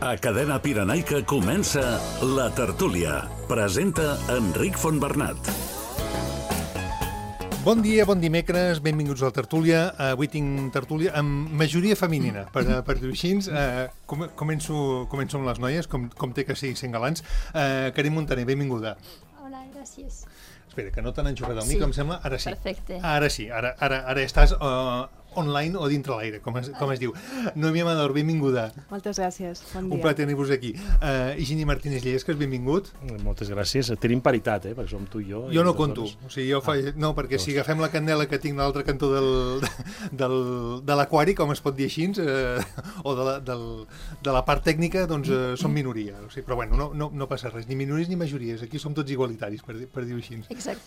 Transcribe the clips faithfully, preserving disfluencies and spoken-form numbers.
A Cadena Pirenaica comença La Tertúlia. Presenta Enric Fontbernat. Bon dia, bon dimecres, benvinguts a La Tertúlia. Avui tinc tertúlia amb majoria femenina, per, per dir-ho així. Uh, com, començo, començo amb les noies, com, com té que ser sent galants. Uh, Karim Montaner, benvinguda. Hola, gràcies. Espera, que no t'han enxufat el Sí, mic, em sembla. Ara sí. perfecte. Ara sí, ara, ara, ara estàs uh, online o dintre l'aire, com, es, com es diu. Noemí Amador, benvinguda. Moltes gràcies, bon Un dia. plaer tenir-vos aquí. Uh, Higini Martínez Llesques, benvingut. Moltes gràcies. Tenim paritat, eh? Perquè som tu i jo. Jo i no les conto, dones. o sigui, jo fa... Ah, no, perquè doncs. si agafem la candela que tinc a l'altre cantó del, del, de l'aquari, com es pot dir així, eh, o de la, del, de la part tècnica, doncs eh, som minoria. O sigui, però bueno, no, no, no passa res, ni minories ni majories, aquí som tots igualitaris, per, dir- per dir-ho així. Exacte.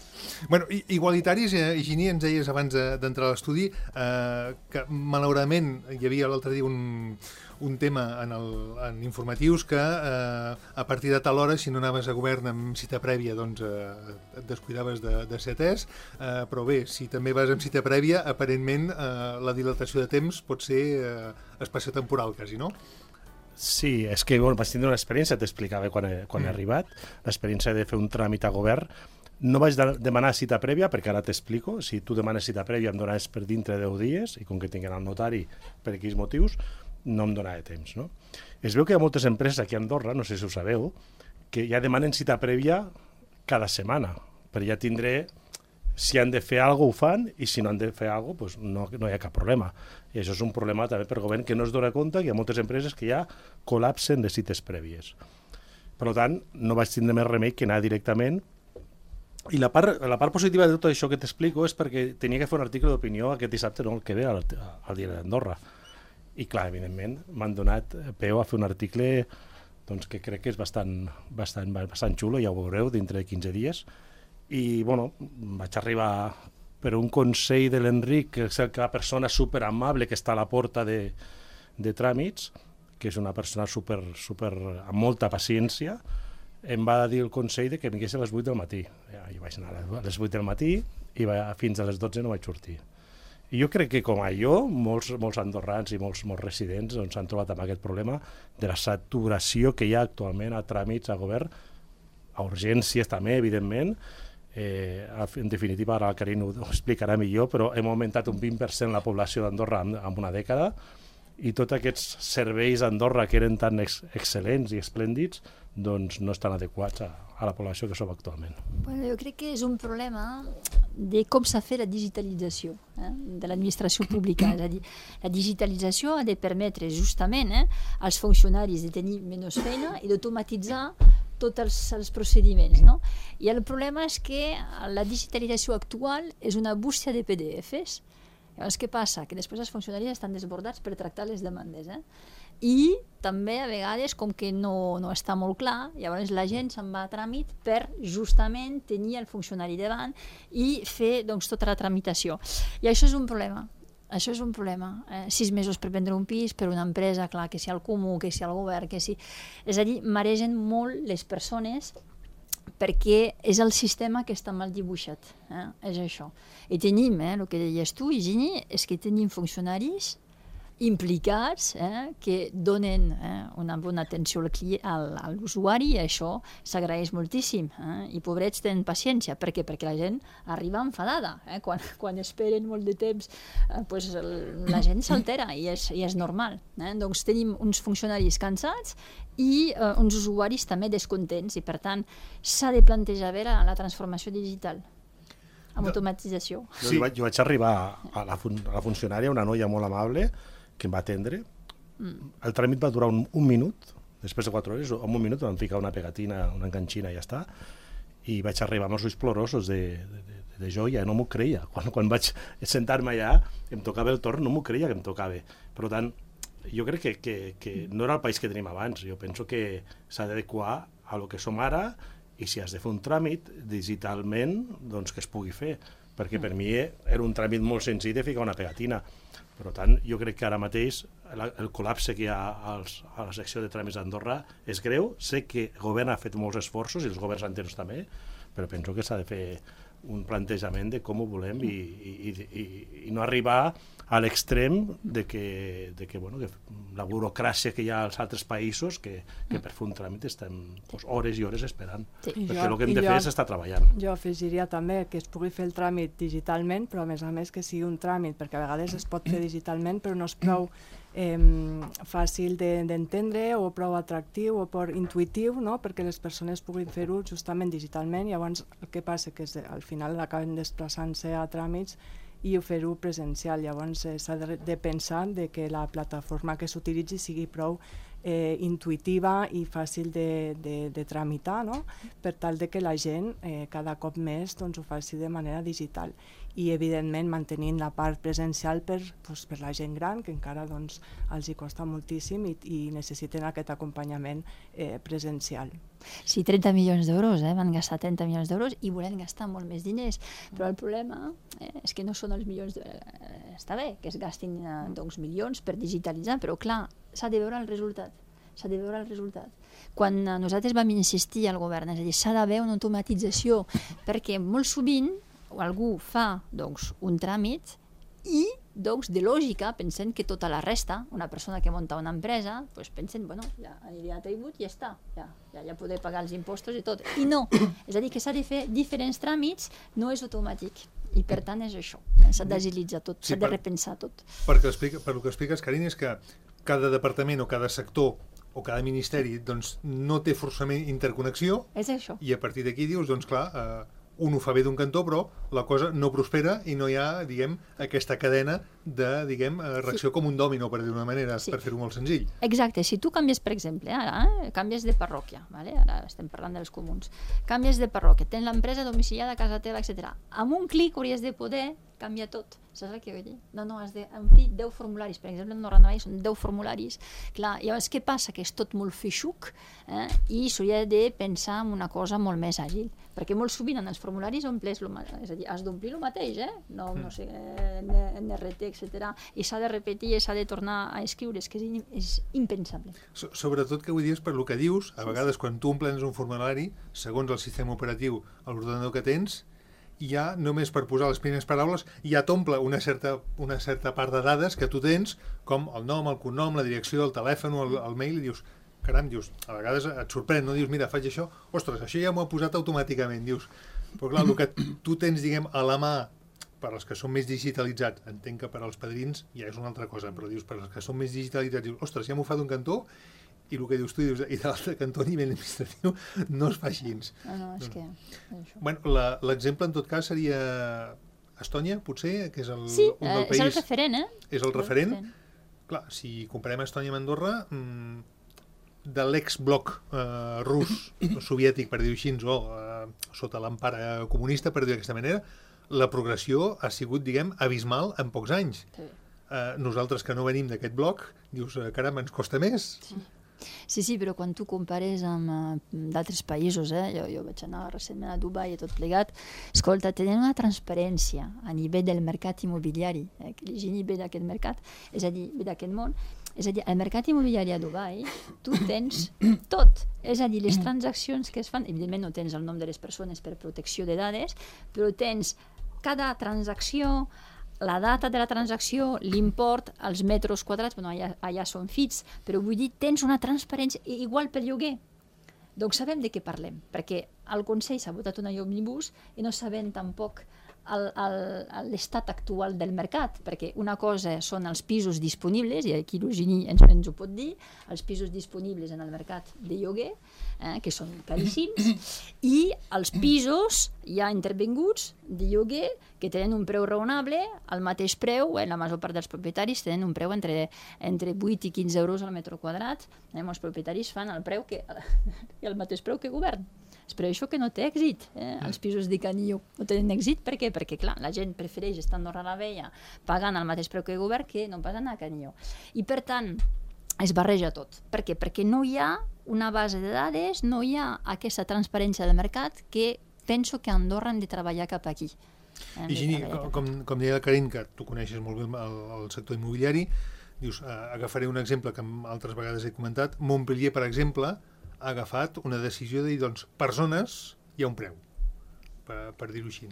Bueno, i- igualitaris, eh, Higini, ens deies abans de- d'entrar a l'estudi, eh, que malauradament hi havia l'altre dia un, un tema en, el, en informatius que eh, a partir de tal hora, si no anaves a govern amb cita prèvia, doncs eh, et descuidaves de, de ser atès, eh, però bé, si també vas amb cita prèvia, aparentment eh, la dilatació de temps pot ser eh, espaciotemporal, quasi, no? Sí, és que bueno, vaig tindre una experiència, t'explicava quan, he, quan he arribat, l'experiència de fer un tràmit a govern. No vaig de demanar cita prèvia, perquè ara t'explico. Si tu demanes cita prèvia em donaves per dintre de deu dies, i com que tinc el notari per aquells motius, no em donava temps. No? Es veu que hi ha moltes empreses aquí a Andorra, no sé si ho sabeu, que ja demanen cita prèvia cada setmana, per ja tindré... Si han de fer alguna cosa, ho fan, i si no han de fer alguna cosa, doncs no, no hi ha cap problema. I això és un problema també per govern que no es dona compte que hi ha moltes empreses que ja col·lapsen de cites prèvies. Per tant, no vaig tindre més remei que anar directament. I la part, la part positiva de tot això que t'explico és perquè tenia que fer un article d'opinió aquest dissabte, no el que ve, al, al Diari d'Andorra. I clar, evidentment, m'han donat peu a fer un article doncs, que crec que és bastant, bastant, bastant xulo, ja ho veureu, dintre de quinze dies. I, bueno, vaig arribar per un consell de l'Enric, que és la persona superamable que està a la porta de, de tràmits, que és una persona super, super, amb molta paciència, em va dir el consell de que vingués a les vuit del matí. Ja, jo vaig anar a les vuit del matí i va, fins a les dotze no vaig sortir. I jo crec que, com a jo, molts, molts andorrans i molts, molts residents s'han doncs, trobat amb aquest problema de la saturació que hi ha actualment a tràmits a govern, a urgències també, evidentment. Eh, en definitiva, ara el Karim ho explicarà millor, però hem augmentat un vint per cent la població d'Andorra en, en una dècada, i tots aquests serveis a Andorra que eren tan ex excel·lents i esplèndids doncs no estan adequats a, a la població que som actualment. Bueno, jo crec que és un problema de com s'ha fet la digitalització eh, de l'administració pública. És a dir, la digitalització ha de permetre justament eh, als funcionaris de tenir menys feina i d'automatitzar tots els, els procediments. No? I el problema és que la digitalització actual és una bústia de P D Fs. Llavors, què passa? Que després els funcionaris estan desbordats per tractar les demandes. Eh? I també, a vegades, com que no, no està molt clar, llavors la gent se'n va a tràmit per justament tenir el funcionari davant i fer doncs, tota la tramitació. I això és un problema. Això és un problema. Eh? Sis mesos per vendre un pis, per una empresa, clar, que si al comú, que si al govern, que si... És a dir, maregen molt les persones perquè és el sistema que està mal dibuixat. Eh? És això. I tenim, eh, el que deies tu, Higini, és que tenim funcionaris implicats eh, que donen eh, una bona atenció al client, al, a l'usuari, i això s'agraeix moltíssim. Eh? I pobrets tenen paciència. Per què? Perquè la gent arriba enfadada. Eh? Quan, quan esperen molt de temps, eh, pues el, la gent s'altera i, és, i és normal. Eh? Doncs tenim uns funcionaris cansats i eh, uns usuaris també descontents, i per tant s'ha de plantejar bé la, la transformació digital amb automatització. Sí. Jo, vaig, jo vaig arribar a la, fun a la funcionària, una noia molt amable, que em va atendre. Mm. El tràmit va durar un, un minut, després de quatre hores, en un minut vam ficar una pegatina, una enganxina i ja està, i vaig arribar amb els ulls plorosos de, de, de, de joia, no m'ho creia. Quan, quan vaig sentar-me allà, em tocava el torn, no m'ho creia que em tocava. Per tant, jo crec que, que, que no era el país que tenim abans, jo penso que s'ha d'adequar a lo que som ara, i si has de fer un tràmit digitalment, doncs que es pugui fer, perquè per mi era un tràmit molt senzill de ficar una pegatina. Per tant, jo crec que ara mateix la, el col·lapse que hi ha als, a la secció de tràmits d'Andorra és greu. Sé que el govern ha fet molts esforços, i els governs anteriors també, però penso que s'ha de fer un plantejament de com ho volem i, i, i, i no arribar a l'extrem de que, de que, bueno, que la burocràcia que hi ha als altres països que, que per fer un tràmit estem pues, hores i hores esperant. Sí. Perquè jo, el que hem de jo, fer és estar treballant. Jo afegiria també que es pugui fer el tràmit digitalment, però a més a més que sigui un tràmit, perquè a vegades es pot fer digitalment però no és prou eh, fàcil d'entendre o prou atractiu o prou intuïtiu, no? Perquè les persones puguin fer-ho justament digitalment i llavors el que passa que és, al final acaben desplaçant-se a tràmits i fer-ho presencial. Llavors eh, s'ha de, de pensar de que la plataforma que s'utilitzi sigui prou eh, intuïtiva i fàcil de, de, de tramitar, no? Per tal de que la gent eh, cada cop més doncs, ho faci de manera digital i evidentment mantenint la part presencial per, doncs, per la gent gran que encara doncs, els hi costa moltíssim i, i necessiten aquest acompanyament eh, presencial. Sí, trenta milions d'euros, eh? Van gastar trenta milions d'euros i volen gastar molt més diners, però el problema eh, és que no són els milions d'euros. Eh, està bé que es gastin eh, doncs, milions per digitalitzar, però clar, s'ha de veure el resultat. S'ha de veure el resultat. Quan eh, nosaltres vam insistir al govern, és a dir, s'ha d'haver una automatització, perquè molt sovint algú fa doncs, un tràmit i doncs, de lògica, pensant que tota la resta, una persona que munta una empresa, doncs pensen, bueno, ja aniria a tribut i ja està, ja, ja, ja podré pagar els impostos i tot. I no, és a dir, que s'ha de fer diferents tràmits, no és automàtic. I per tant és això, s'ha d'agilitzar tot, s'ha sí, de repensar tot. Perquè explica, per el que expliques, Carina, és que cada departament o cada sector o cada ministeri doncs, no té forçament interconnexió. És això. I a partir d'aquí dius, doncs clar, eh, un ho fa bé d'un cantó, però la cosa no prospera i no hi ha, diguem, aquesta cadena de, diguem, reacció sí. com un dòmino, per dir d'una manera, sí. per fer-ho molt senzill. Exacte. Si tu canvies, per exemple, ara, eh, canvies de parròquia, vale? Ara estem parlant dels comuns, canvies de parròquia, tens l'empresa domiciliada a casa teva, etcètera. Amb un clic hauries de poder canviar tot. Saps el que vull dir? No, no, has d'omplir deu formularis. Per exemple, en Norandavall són deu formularis. Clar, llavors què passa? Que és tot molt feixuc eh? I s'hauria de pensar en una cosa molt més àgil. Perquè molt sovint en els formularis omples, lo, és a dir, has d'omplir el mateix, eh? No, no sé, N R T, etcètera. I s'ha de repetir i s'ha de tornar a escriure. És que és, és impensable. So, sobretot que vull dir és per lo que dius, a vegades quan tu omplens un formulari, segons el sistema operatiu, a l'ordenador que tens, ja només per posar les primeres paraules ja t'omple una certa, una certa part de dades que tu tens, com el nom, el cognom, la direcció, el telèfon, el, el mail, i dius, caram, dius, a vegades et sorprèn, no? Dius, mira, faig això, ostres, això ja m'ho ha posat automàticament, dius, però clar, el que tu tens, diguem, a la mà, per als que són més digitalitzats, entenc que per als padrins ja és una altra cosa, però dius, per als que són més digitalitzats, dius, ostres, ja m'ho fa d'un cantó, i el que dius tu, dius, i de l'altre cantó a nivell administratiu no es fa així. No, no, és que... És bueno, l'exemple en tot cas seria Estònia, potser, que és el, sí, un del eh, país... és el referent, eh? És el referent. Clar, si comparem Estònia amb Andorra, mmm, de l'ex-bloc eh, rus, soviètic, per dir-ho així, o eh, sota l'empara comunista, per dir-ho d'aquesta manera, la progressió ha sigut, diguem, abismal en pocs anys. Sí. Eh, nosaltres que no venim d'aquest bloc, dius, caram, ens costa més. Sí. Sí, sí, però quan tu compares amb uh, d'altres països, eh, jo, jo vaig anar recentment a Dubai i tot plegat, escolta, tenen una transparència a nivell del mercat immobiliari, eh, que la gent ve d'aquest mercat, és a dir, ve d'aquest món, és a dir, al mercat immobiliari a Dubai tu tens tot, és a dir, les transaccions que es fan, evidentment no tens el nom de les persones per protecció de dades, però tens cada transacció, la data de la transacció, l'import, els metres quadrats, bueno, allà, allà són fits, però vull dir, tens una transparència igual pel lloguer. Doncs sabem de què parlem, perquè el Consell s'ha votat una llei òmnibus i no sabem tampoc l'estat actual del mercat, perquè una cosa són els pisos disponibles, i aquí l'Eugeni ens, ens ho pot dir, els pisos disponibles en el mercat de lloguer, eh, que són caríssims, i els pisos ja intervinguts de lloguer que tenen un preu raonable, al mateix preu, eh, la major part dels propietaris tenen un preu entre, entre vuit i quinze euros al metre quadrat, eh, els propietaris fan el preu que, el mateix preu que govern. És per això que no té èxit, eh? Els pisos de Canillo no tenen èxit, per què? Perquè clar, la gent prefereix estar a Andorra la Vella pagant el mateix preu que el govern que no pas anar a Canillo. I per tant, es barreja tot. Per què? Perquè no hi ha una base de dades, no hi ha aquesta transparència del mercat que penso que a Andorra hem de treballar cap aquí. I Gini, com, com deia la Karin, que tu coneixes molt bé el, el sector immobiliari, dius, eh, agafaré un exemple que altres vegades he comentat, Montpellier, per exemple, ha agafat una decisió de dir, doncs, per zones hi ha un preu. per, per dir-ho així.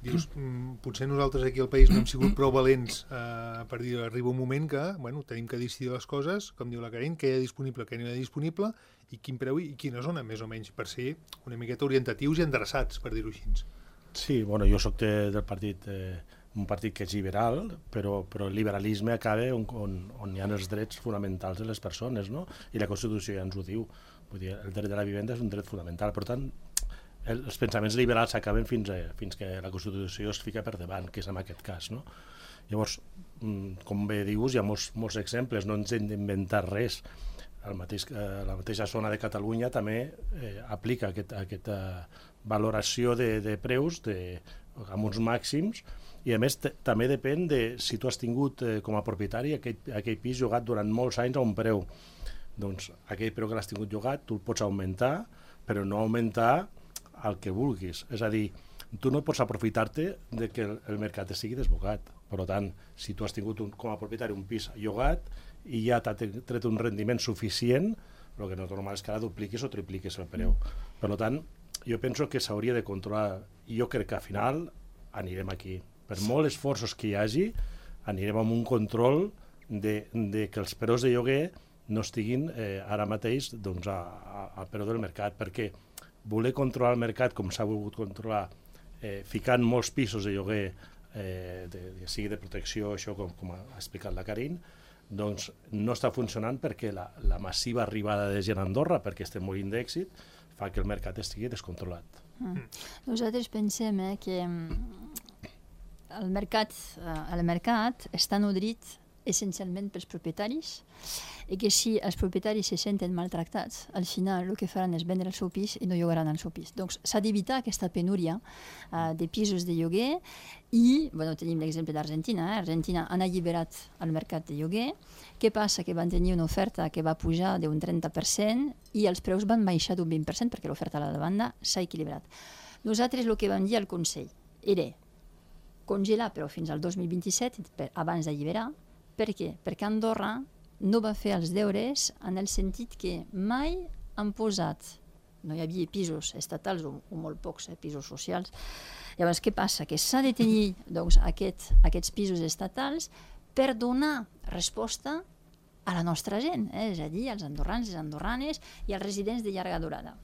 Dius, mm, potser nosaltres aquí al país no hem sigut prou valents eh, per dir, arriba un moment que, bueno, tenim que decidir les coses, com diu la Carina, què hi ha disponible, què no hi ha disponible, i quin preu i quina zona, més o menys, per ser una miqueta orientatius i endreçats, per dir-ho així. Sí, bueno, jo soc de, del partit, eh, un partit que és liberal, però, però el liberalisme acaba on, on, on hi ha els drets fonamentals de les persones, no? I la Constitució ja ens ho diu. Vull dir, el dret de la vivenda és un dret fonamental. Per tant, el, els pensaments liberals s'acaben fins, a, fins que la Constitució es fica per davant, que és en aquest cas, no? Llavors, com bé dius, hi ha molts, molts exemples, no ens hem d'inventar res. El mateix, eh, la mateixa zona de Catalunya també eh, aplica aquest, aquesta valoració de, de preus de, amb uns màxims, i a més també depèn de si tu has tingut eh, com a propietari aquell, aquell pis llogat durant molts anys a un preu. Doncs aquell preu que l'has tingut llogat tu el pots augmentar, però no augmentar el que vulguis. És a dir, tu no pots aprofitar-te de que el, el mercat estigui desbocat. Per tant, si tu has tingut un, com a propietari un pis llogat i ja t'ha tret un rendiment suficient, el que no és normal és que ara dupliquis o tripliquis el preu. Per tant, jo penso que s'hauria de controlar, i jo crec que al final anirem aquí. Per molts esforços que hi hagi, anirem amb un control de, de que els preus de lloguer no estiguin eh, ara mateix doncs, a, a, a preu del mercat, perquè voler controlar el mercat com s'ha volgut controlar, eh, ficant molts pisos de lloguer, eh, de, de, sigui de protecció, això com, com ha explicat la Karin, doncs no està funcionant perquè la, la massiva arribada de gent a Andorra, perquè estem morint d'èxit, fa que el mercat estigui descontrolat. Mm. Nosaltres pensem eh, que el mercat, eh, el mercat està nodrit essencialment pels propietaris i que si els propietaris se senten maltractats, al final el que faran és vendre el seu pis i no llogaran el seu pis. Doncs s'ha d'evitar aquesta penúria uh, de pisos de lloguer i, bueno, tenim l'exemple d'Argentina, eh? Argentina han alliberat el mercat de lloguer. Què passa? Que van tenir una oferta que va pujar d'un trenta per cent i els preus van baixar d'un vint per cent perquè l'oferta a la demanda s'ha equilibrat. Nosaltres el que vam dir al Consell era congelar però fins al dos mil vint-i-set per, abans d'alliberar. Per què? Perquè Andorra no va fer els deures en el sentit que mai han posat, no hi havia pisos estatals o, o molt pocs eh, pisos socials. Llavors, què passa? Que s'ha de tenir doncs, aquest, aquests pisos estatals per donar resposta a la nostra gent, eh? És a dir, als andorrans, les andorranes i als residents de llarga durada.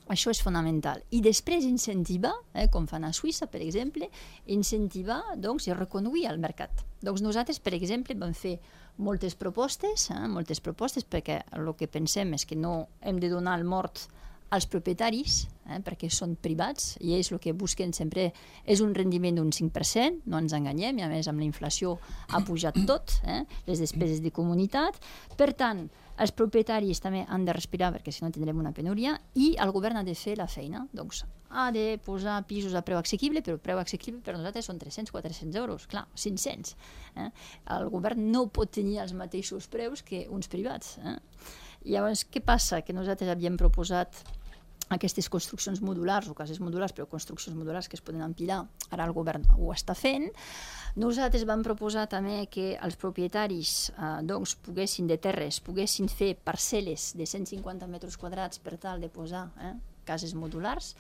Això és fonamental. I després incentivar, eh, com fan a Suïssa, per exemple, incentivar doncs, i reconduir el mercat. Doncs nosaltres, per exemple, vam fer moltes propostes, eh, moltes propostes perquè el que pensem és que no hem de donar el mort als propietaris, eh, perquè són privats, i ells el que busquen sempre és un rendiment d'un cinc per cent, no ens enganyem, i a més amb la inflació ha pujat tot, eh, les despeses de comunitat. Per tant, els propietaris també han de respirar perquè si no tindrem una penúria i el govern ha de fer la feina. Doncs ha de posar pisos a preu assequible, però preu assequible per nosaltres són tres-cents a quatre-cents euros, clar, cinc-cents. Eh? El govern no pot tenir els mateixos preus que uns privats. Eh? Llavors, què passa? Que nosaltres havíem proposat aquestes construccions modulars o cases modulars, però construccions modulars que es poden empilar, ara el govern ho està fent. Nosaltres vam proposar també que els propietaris eh, doncs, poguessin de terres, poguessin fer parcel·les de cent cinquanta metres quadrats per tal de posar eh, cases modulars,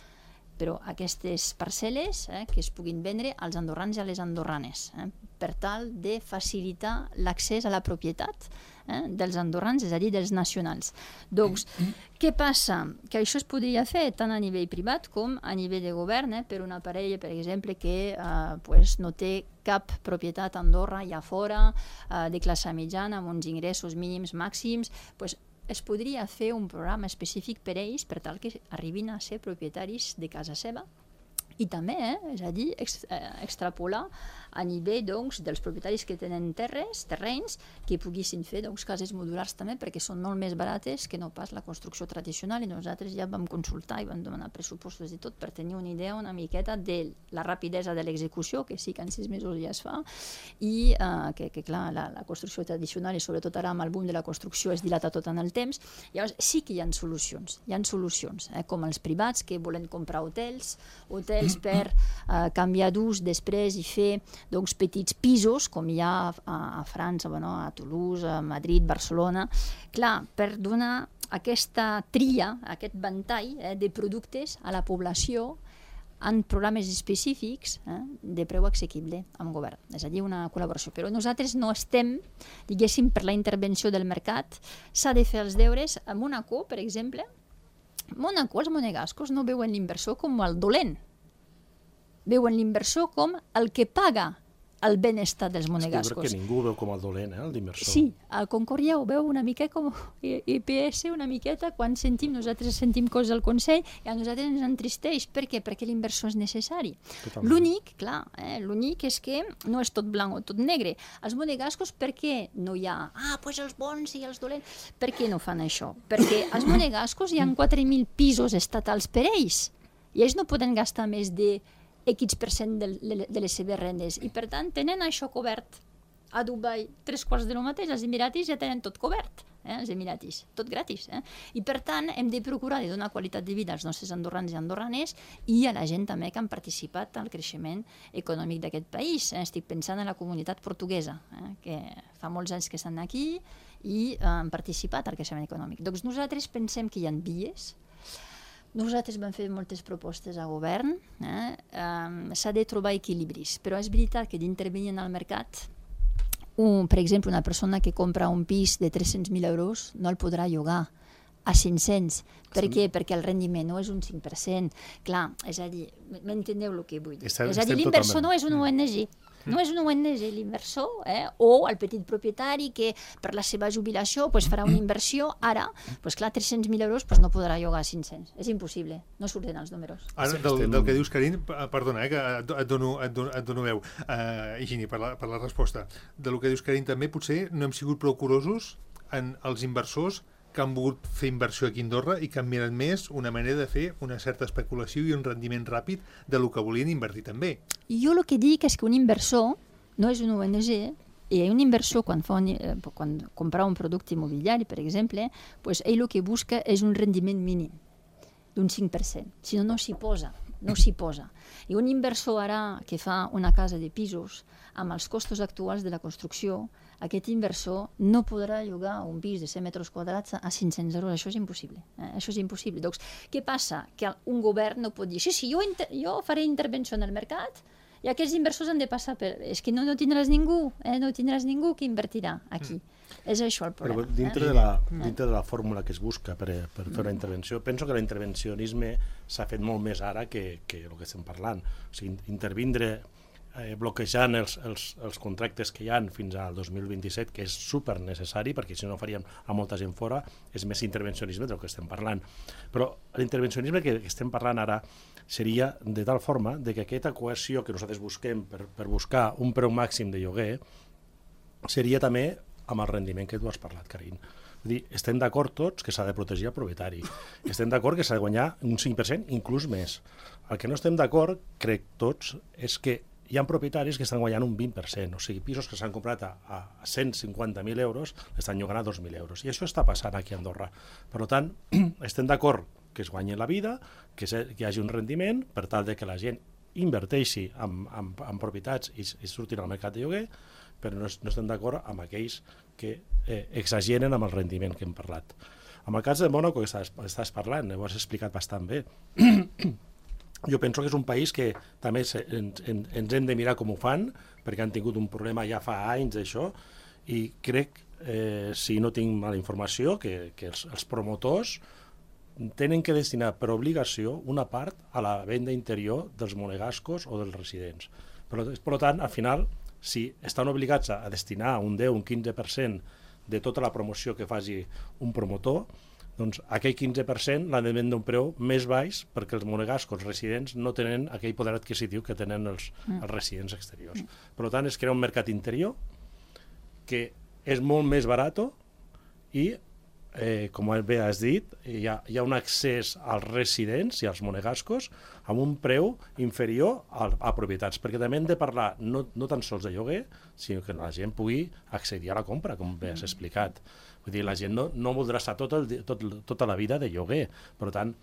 però aquestes parcel·les eh, que es puguin vendre als andorrans i a les andorranes, eh, per tal de facilitar l'accés a la propietat eh, dels andorrans, és a dir, dels nacionals. Doncs, què passa? Que això es podria fer tant a nivell privat com a nivell de govern, eh, per una parella, per exemple, que eh, pues, no té cap propietat a Andorra i a fora, eh, de classe mitjana, amb uns ingressos mínims màxims, pues, es podria fer un programa específic per a ells per tal que arribin a ser propietaris de casa seva i també, eh, és a dir, ex, eh, extrapolar a nivell doncs, dels propietaris que tenen terres, terrenys, que poguessin fer doncs, cases modulars també perquè són molt més barates que no pas la construcció tradicional i nosaltres ja vam consultar i vam demanar pressupostos i tot per tenir una idea una miqueta de la rapidesa de l'execució, que sí que en sis mesos ja es fa i eh, que, que clar, la, la construcció tradicional i sobretot ara amb el boom de la construcció es dilata tot en el temps. Llavors sí que hi ha solucions, hi ha solucions, eh, com els privats que volen comprar hotels, hotels per uh, canviar d'ús després i fer doncs, petits pisos, com hi ha a, a França, bueno, a Toulouse, a Madrid, Barcelona. Clar, per donar aquesta tria, aquest ventall eh, de productes a la població en programes específics eh, de preu assequible amb govern, és a dir, una col·laboració. Però nosaltres no estem, diguéssim, per la intervenció del mercat, s'ha de fer els deures. A Mónaco, per exemple, Mónaco, els monegascos no veuen l'inversor com el dolent, veuen l'inversor com el que paga el benestar dels monegascos. És que ningú veu com el dolent, eh, l'inversor. Sí, el Concòrdia ho veu una mica com I P S, una miqueta, quan sentim, nosaltres sentim coses al Consell i a nosaltres ens entristeix. Per què? Perquè l'inversor és necessari. L'únic, clar, eh, l'únic és que no és tot blanc o tot negre. Els monegascos, per què no hi ha? Ah, doncs pues els bons i els dolents. Per què no fan això? Perquè als monegascos hi ha quatre mil pisos estatals per ells i ells no poden gastar més de X per cent de, de les seves rendes i per tant tenen això cobert. A Dubai tres quarts de lo mateix, els Emiratis ja tenen tot cobert, eh? Els Emiratis, tot gratis. Eh? I per tant hem de procurar de donar qualitat de vida als nostres andorrans i andorranes i a la gent també que han participat al creixement econòmic d'aquest país. Eh? Estic pensant en la comunitat portuguesa, eh? que fa molts anys que estan aquí i eh, han participat al creixement econòmic. Doncs nosaltres pensem que hi ha vies. Nosaltres vam fer moltes propostes al govern, eh? um, s'ha de trobar equilibris, però és veritat que d'intervenir en el mercat, un, per exemple, una persona que compra un pis de tres-cents mil euros no el podrà llogar a cinc-cents. Per què? Perquè el rendiment no és un cinc per cent. Clar, és a dir, m'enteneu el que vull dir? Estem, és a dir, l'inversor no és un O N G. No és un O N G l'inversor, eh? O el petit propietari que per la seva jubilació pues, farà una inversió, ara, pues, clar, tres-cents mil euros pues, no podrà llogar a cinc-cents. És impossible, no surten els números. Ara, del, del que dius, Karin, perdona, eh, que et dono, et dono, et dono veu, uh, Higini, per la, per la resposta. Del que dius, Karin, també potser no hem sigut prou curosos en els inversors que han volgut fer inversió aquí a Andorra i que han mirat més una manera de fer una certa especulació i un rendiment ràpid de lo que volien invertir també. Jo el que dic és que un inversor no és un O N G i un inversor quan, fa un, eh, quan compra un producte immobiliari, per exemple, pues ell el que busca és un rendiment mínim d'un cinc per cent, si no, no s'hi posa. No s'hi posa. I un inversor ara que fa una casa de pisos amb els costos actuals de la construcció, aquest inversor no podrà llogar un pis de cent metres quadrats a cinc-cents euros. Això és impossible. Eh? Això és impossible. Doncs, què passa? Que un govern no pot dir sí, sí, jo, jo faré intervenció en el mercat i aquests inversors han de passar per... És que no, no tindràs ningú, eh? no tindràs ningú que invertirà aquí. Mm. És això el problema. Però dintre, eh? de, la, dintre de la fórmula que es busca per, per fer una intervenció, penso que l'intervencionisme s'ha fet molt més ara que, que el que estem parlant. O sigui, intervindre eh, bloquejant els, els, els contractes que hi ha fins al dos mil vint-i-set, que és super necessari, perquè si no faríem a molta gent fora, és més intervencionisme del que estem parlant. Però l'intervencionisme que estem parlant ara seria de tal forma de que aquesta cohesió que nosaltres busquem per, per buscar un preu màxim de lloguer seria també amb el rendiment que tu has parlat, Karin. Vull dir, estem d'acord tots que s'ha de protegir el propietari. Estem d'acord que s'ha de guanyar un cinc per cent, inclús més. El que no estem d'acord, crec tots, és que hi ha propietaris que estan guanyant un vint per cent, o sigui, pisos que s'han comprat a, a cent cinquanta mil euros estan llogant a dos mil euros. I això està passant aquí a Andorra. Per tant, estem d'acord que es guanyi la vida, que, se, que hi hagi un rendiment, per tal de que la gent inverteixi en, en, en propietats i, i surtin al mercat de lloguer, però no, no estem d'acord amb aquells que eh, exageren amb el rendiment que hem parlat. En el cas de Mónaco, que estàs, estàs parlant, ho has explicat bastant bé. Jo penso que és un país que també se, ens, ens hem de mirar com ho fan, perquè han tingut un problema ja fa anys d'això, i crec, eh, si no tinc mala informació, que, que els, els promotors tenen que destinar per obligació una part a la venda interior dels monegascos o dels residents. Per, per tant, al final, si estan obligats a destinar un deu o un quinze per cent de tota la promoció que faci un promotor, doncs aquell quinze per cent l'han de vendre un preu més baix perquè els monegascos residents no tenen aquell poder adquisitiu que tenen els, els residents exteriors. Per tant, es crea un mercat interior que és molt més barat i Eh, com bé has dit, hi ha, hi ha un accés als residents i als monegascos amb un preu inferior a, a propietats, perquè també hem de parlar no, no tan sols de lloguer, sinó que la gent pugui accedir a la compra, com bé has explicat. Vull dir, la gent no, no voldrà estar tot el, tot, tota la vida de lloguer, per tant,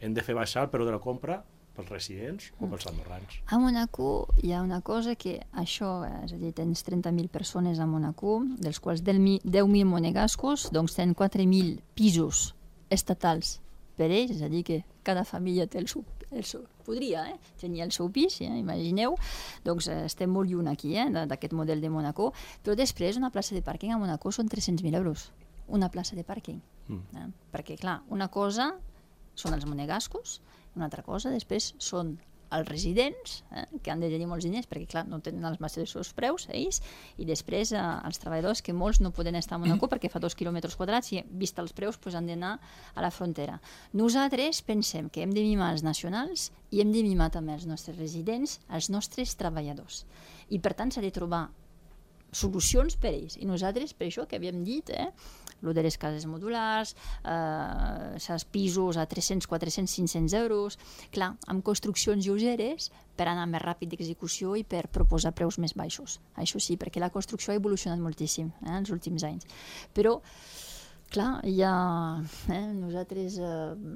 hem de fer baixar el preu de la compra pels residents o pels andorrans. A Mónaco hi ha una cosa que això, és a dir, tens trenta mil persones a Mónaco, dels quals deu mil monegascos, doncs tenen quatre mil pisos estatals per ells, és a dir, que cada família té el seu, el seu, podria eh, tenir el seu pis, eh, imagineu, doncs eh, estem molt lluny aquí eh, d'aquest model de Mónaco, però després una plaça de pàrquing a Mónaco són tres-cents mil euros, una plaça de pàrquing, mm. eh, perquè clar, una cosa són els monegascos, una altra cosa després són els residents, eh, que han de tenir molts diners, perquè clar, no tenen els mateixos preus, ells, i després eh, els treballadors, que molts no poden estar a Mónaco perquè fa dos quilòmetres quadrats i, vist els preus, pues, han d'anar a la frontera. Nosaltres pensem que hem de mimar els nacionals i hem de mimar també els nostres residents, els nostres treballadors. I per tant s'ha de trobar solucions per ells. I nosaltres, per això que havíem dit, eh, lo de les cases modulars, eh, els pisos a tres-cents, quatre-cents, cinc-cents euros, clar, amb construccions lleugeres per anar més ràpid d'execució i per proposar preus més baixos. Això sí, perquè la construcció ha evolucionat moltíssim eh, en els últims anys. Però, clar, ja eh, nosaltres eh,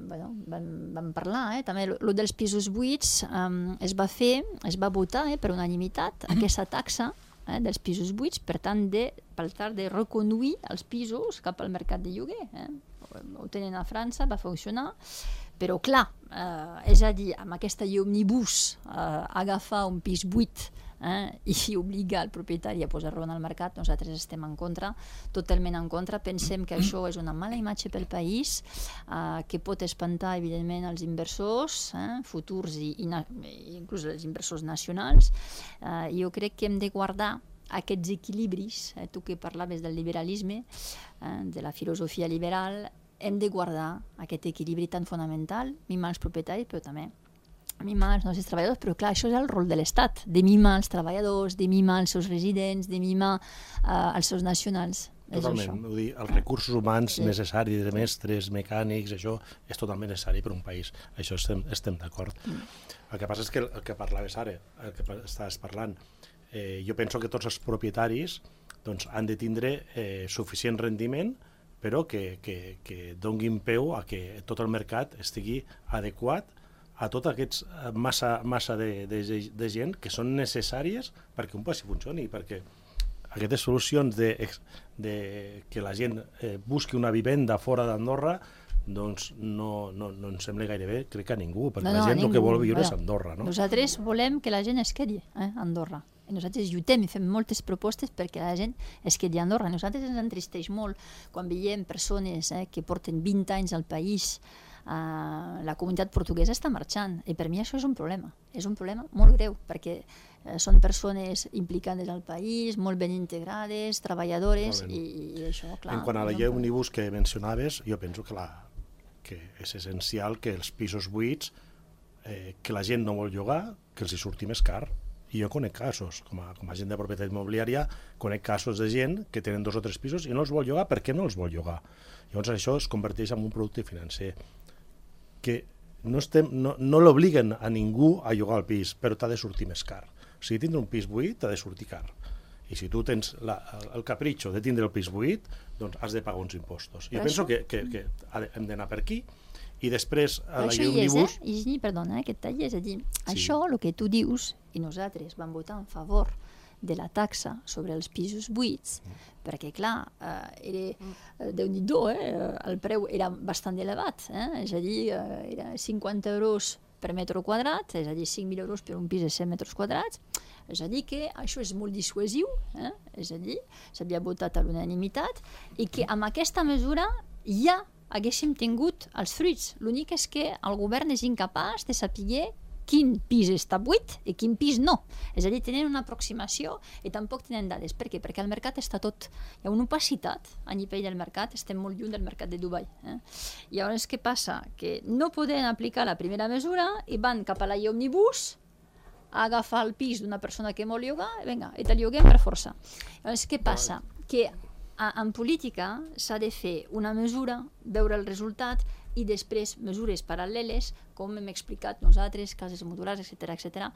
bueno, vam, vam parlar, eh, també el dels pisos buits eh, es va fer, es va votar eh, per unanimitat aquesta taxa Eh, dels pisos buits, per tant, de, per tal de reconduir els pisos cap al mercat de lloguer. Eh? Ho tenen a França, va funcionar, però clar, eh, és a dir, amb aquesta llei òmnibus, eh, agafar un pis buit eh, i obligar el propietari a posar-lo en el mercat, nosaltres estem en contra, totalment en contra, pensem que això és una mala imatge pel país, eh, que pot espantar, evidentment, els inversors eh, futurs i, i na- inclús els inversors nacionals. Eh, jo crec que hem de guardar aquests equilibris, eh, tu que parlaves del liberalisme, eh, de la filosofia liberal, hem de guardar aquest equilibri tan fonamental, mimar els propietaris, però també mimar els nostres treballadors, però clar, això és el rol de l'Estat, de mimar els treballadors, de mimar els seus residents, de mimar uh, els seus nacionals. Totalment, vull dir, els recursos humans sí. necessaris, de mestres, mecànics, això és totalment necessari per un país, això estem, estem d'acord. Mm. El que passa és que el que parlaves ara, el que estaves parlant, eh, jo penso que tots els propietaris doncs, han de tindre eh, suficient rendiment, però que, que, que donguin peu a que tot el mercat estigui adequat a tota aquesta massa, massa de, de, de gent que són necessàries perquè un passi funcioni, perquè aquestes solucions de, de que la gent eh, busqui una vivenda fora d'Andorra doncs no, no, no ens sembla gaire bé, crec que a ningú, perquè no, no, la gent el que vol viure bueno, és Andorra. No? Nosaltres volem que la gent es quedi eh, a Andorra. I nosaltres lluitem i fem moltes propostes perquè la gent es quedi a Andorra. A nosaltres ens entristeix molt quan veiem persones eh, que porten vint anys al país. Uh, la comunitat portuguesa està marxant i per mi això és un problema, és un problema molt greu perquè uh, són persones implicades al país, molt ben integrades, treballadores i, i això, clar. En quant a la llei òmnibus que mencionaves, jo penso que, la, que és essencial que els pisos buits eh, que la gent no vol llogar, que els hi surti més car. I jo conec casos, com a, com a gent de propietat immobiliària, conec casos de gent que tenen dos o tres pisos i no els vol llogar perquè no els vol llogar. Llavors això es converteix en un producte financer que no, estem, no, no l'obliguen a ningú a llogar el pis, però t'ha de sortir més car. O sigui, tindre un pis buit t'ha de sortir car. I si tu tens la, el capritxo de tindre el pis buit, doncs has de pagar uns impostos. Jo penso que, que, que hem d'anar per aquí i després a la llei òmnibus... Eh? I, perdona, eh, que et talli, és a dir, sí. Això, el que tu dius, i nosaltres vam votar en favor de la taxa sobre els pisos buits, mm. perquè, clar, eh, era, eh, Déu-n'hi-do, eh, el preu era bastant elevat, eh, és a dir, eh, era cinquanta euros per metre quadrat, és a dir, cinc mil euros per un pis de cent metres quadrats, és a dir que això és molt dissuasiu, eh, és a dir, s'havia votat a l'unanimitat, i que amb aquesta mesura ja haguéssim tingut els fruits. L'únic és que el govern és incapaç de saber quin pis està buit i quin pis no. És a dir, tenen una aproximació i tampoc tenen dades. Per què? Perquè el mercat està tot... Hi ha una opacitat a nivell del mercat, estem molt lluny del mercat de Dubai. Eh? I llavors què passa? Que no poden aplicar la primera mesura i van cap a la llei òmnibus a agafar el pis d'una persona que vol llogar i vinga, i te'l lloguem per força. Llavors què passa? Que a, en política s'ha de fer una mesura, veure el resultat i després mesures paral·leles, com hem explicat nosaltres, cases modulars, etcètera, etcètera.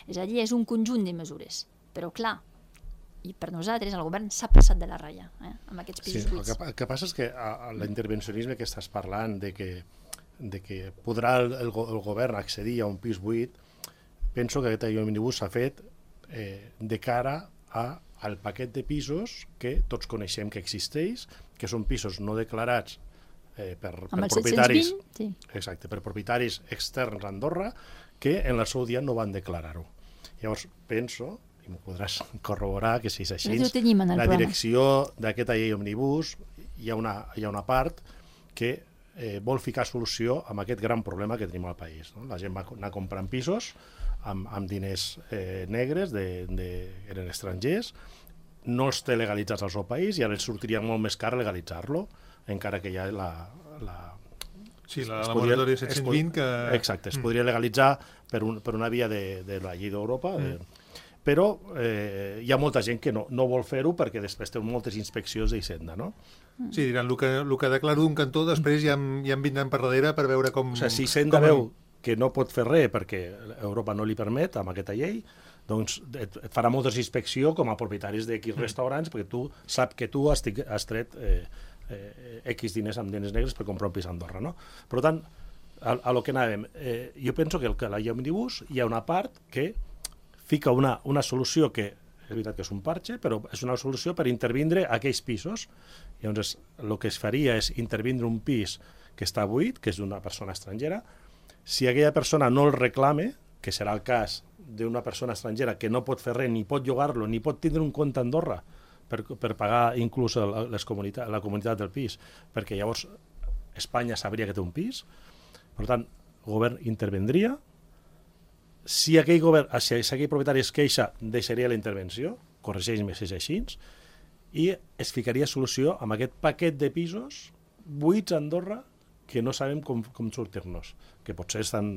És a dir, és un conjunt de mesures. Però, clar, i per nosaltres el govern s'ha passat de la ratlla eh, amb aquests pisos sí, buits. El que, el que passa és que a, a l'intervencionisme que estàs parlant, de que, de que podrà el, el, el govern accedir a un pis buit, penso que aquest òmnibus s'ha fet eh, de cara a, al paquet de pisos que tots coneixem que existeix, que són pisos no declarats eh, per, per Amb el propietaris, set-cents vint, sí. exacte, per propietaris externs a Andorra que en el seu dia no van declarar-ho. Llavors penso, i m'ho podràs corroborar, que si és així, Nosaltres ho tenim en el la programa. direcció d'aquesta llei òmnibus hi ha una, hi ha una part que eh, vol ficar solució a aquest gran problema que tenim al país. No? La gent va anar comprant pisos amb, amb diners eh, negres, de, de, eren estrangers, no els té legalitzats al seu país i ara els sortiria molt més car legalitzar-lo, encara que hi ha la... la Sí, la, es la podria- moratòria es set-cents pod- vint que... Exacte, es podria legalitzar per, un, per una via de, de la llei d'Europa, Mm. eh, però eh, hi ha molta gent que no, no vol fer-ho perquè després té moltes inspeccions d'Hisenda, no? Sí, diran, el que, el que declaro d'un cantó, després ja em, ja em vindran per darrere per veure com... O sigui, si Hisenda com- veu que no pot fer res perquè Europa no li permet amb aquesta llei, doncs et, et farà moltes inspecció com a propietaris d'X restaurants perquè tu sap que tu has, tic- has tret eh, eh, X diners amb diners negres per comprar un pis a Andorra, no? Per tant, a, a lo que anàvem, eh, jo penso que el que la llei òmnibus hi ha una part que fica una, una solució que és veritat que és un parche, però és una solució per intervindre a aquells pisos. Llavors, el que es faria és intervindre un pis que està buit, que és d'una persona estrangera. Si aquella persona no el reclame, que serà el cas d'una persona estrangera que no pot fer res, ni pot llogar-lo, ni pot tindre un compte a Andorra per, per pagar inclús el, les comunitat, la comunitat del pis, perquè llavors Espanya sabria que té un pis. Per tant, el govern intervendria. Si aquell, govern, si aquell propietari es queixa, deixaria la intervenció, corregeix-me si és així, i es ficaria solució amb aquest paquet de pisos buits a Andorra que no sabem com, com sortir-nos, que potser estan,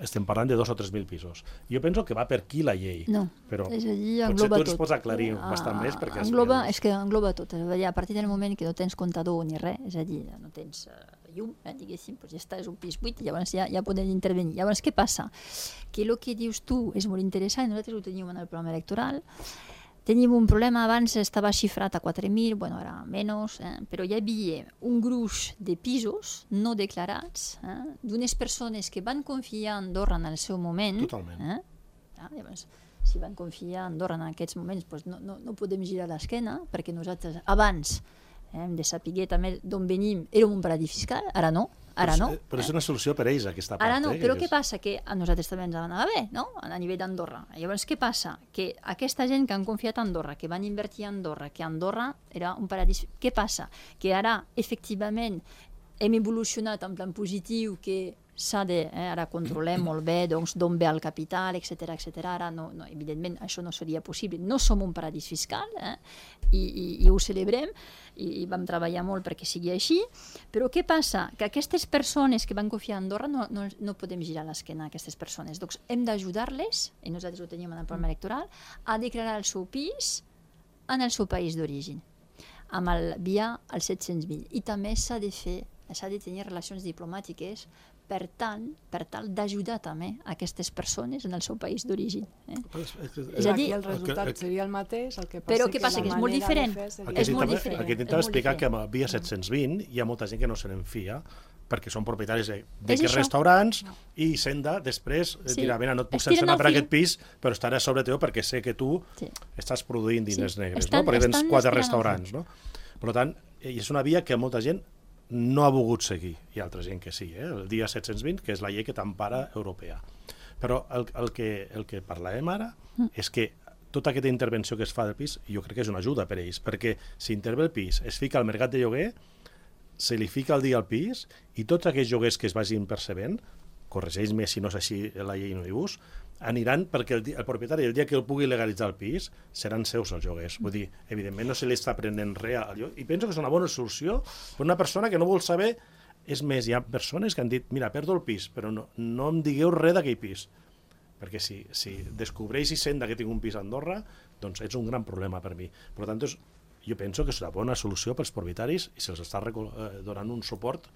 estem parlant de dos o tres mil pisos. Jo penso que va per aquí la llei, No, però és a dir, potser engloba tu ens tot. pots aclarir Ah, bastant més. Perquè has- engloba, és que engloba tot. És a dir, a partir del moment que no tens comptador ni res, és a dir, no tens uh, llum, eh, diguéssim, doncs ja està, és un pis buit, i llavors ja, ja podem intervenir. Llavors, què passa? Que el que dius tu és molt interessant, nosaltres ho tenim en el programa electoral. Tenim un problema, abans estava xifrat a quatre mil, bueno, ara menys, eh? Però hi havia un gruix de pisos no declarats eh? d'unes persones que van confiar en Andorra en el seu moment. Totalment. Eh? Ah, llavors, si van confiar en Andorra en aquests moments, doncs no, no, no podem girar l'esquena, perquè nosaltres abans eh, hem de saber també d'on venim, érem un paradís fiscal, ara no, ara no. Però, és- però és una solució per ells, aquesta part. Ara no, eh, però que què passa? Que a nosaltres també ens anava bé, no? A nivell d'Andorra. Llavors, què passa? Que aquesta gent que han confiat a Andorra, que van invertir a Andorra, que Andorra era un paradís... Què passa? Que ara, efectivament, hem evolucionat en plan positiu, que s'ha de... Eh, ara controlem molt bé doncs, d'on ve el capital, etcètera, etcètera. Ara, no, no, evidentment, això no seria possible. No som un paradís fiscal, eh? I, i, i ho celebrem, i, i vam treballar molt perquè sigui així, però què passa? Que aquestes persones que van confiar a Andorra no, no, no podem girar l'esquena a aquestes persones. Doncs hem d'ajudar-les, i nosaltres ho tenim en el programa electoral, a declarar el seu pis en el seu país d'origen, amb el, via el set-cents vint. I també s'ha de fer, s'ha de tenir relacions diplomàtiques per tant, per tal d'ajudar també aquestes persones en el seu país d'origen. Eh? És a dir, Aquí el resultat el que- seria el mateix, el que passa Però que què passa? la Que és molt manera de diferent. fer seria El És que molt intentava- diferent, el que és intentava molt explicar que diferent. amb el via set-cents vint hi ha molta gent que no se n'en fia perquè són propietaris de, de És que això. restaurants i Senda després Sí. dirà, mira, no et puc Estiren sancionar el per fil. aquest pis, però estaré sobre teu perquè sé que tu Sí. estàs produint diners Sí. negres, Estan- no? Perquè tens estan quatre estirant el restaurants, no? Per tant, i és una via que molta gent no ha volgut seguir. Hi ha altra gent que sí, eh? El dia set-cents vint, que és la llei que t'empara europea. Però el, el, que, el que parlàvem ara Mm. és que tota aquesta intervenció que es fa del pis, jo crec que és una ajuda per a ells, perquè si intervé el pis, es fica al mercat de lloguer, se li fica el dia al pis, i tots aquells lloguers que es vagin percebent, corregeix-me si no és així la llei Omnibus, aniran perquè el, di- el propietari, el dia que el pugui legalitzar el pis, seran seus els lloguers. Vull dir, evidentment no se li està prenent res al lloc, i penso que és una bona solució per una persona que no vol saber. És més, hi ha persones que han dit, mira, perdo el pis, però no, no em digueu res d'aquell pis. Perquè si, si descobreix Hisenda que tinc un pis a Andorra, doncs és un gran problema per mi. Per tant, és, jo penso que és una bona solució pels propietaris i se'ls està recol- eh, donant un suport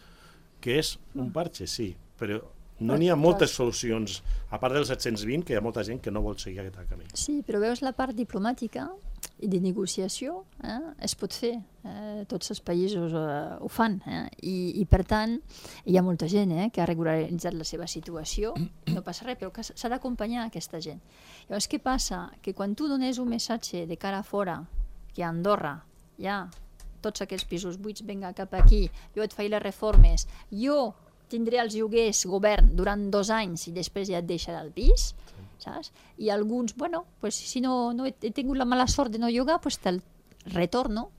que és un parche, sí, però no n'hi ha moltes solucions, a part dels set-cents vint, que hi ha molta gent que no vol seguir aquest camí. Sí, però veus la part diplomàtica i de negociació, eh? Es pot fer, eh? Tots els països eh, ho fan, eh? I, i per tant hi ha molta gent eh? que ha regularitzat la seva situació, no passa res, però que s'ha d'acompanyar aquesta gent. Llavors què passa? Que quan tu dones un missatge de cara a fora que a Andorra hi ha tots aquests pisos buits, vinga cap aquí, jo et faig les reformes, jo tindré els lloguers govern durant dos anys i després ja et deixarà el pis, saps? I alguns, bueno, pues, si no, no he, he tingut la mala sort de no llogar, pues te'l retorno,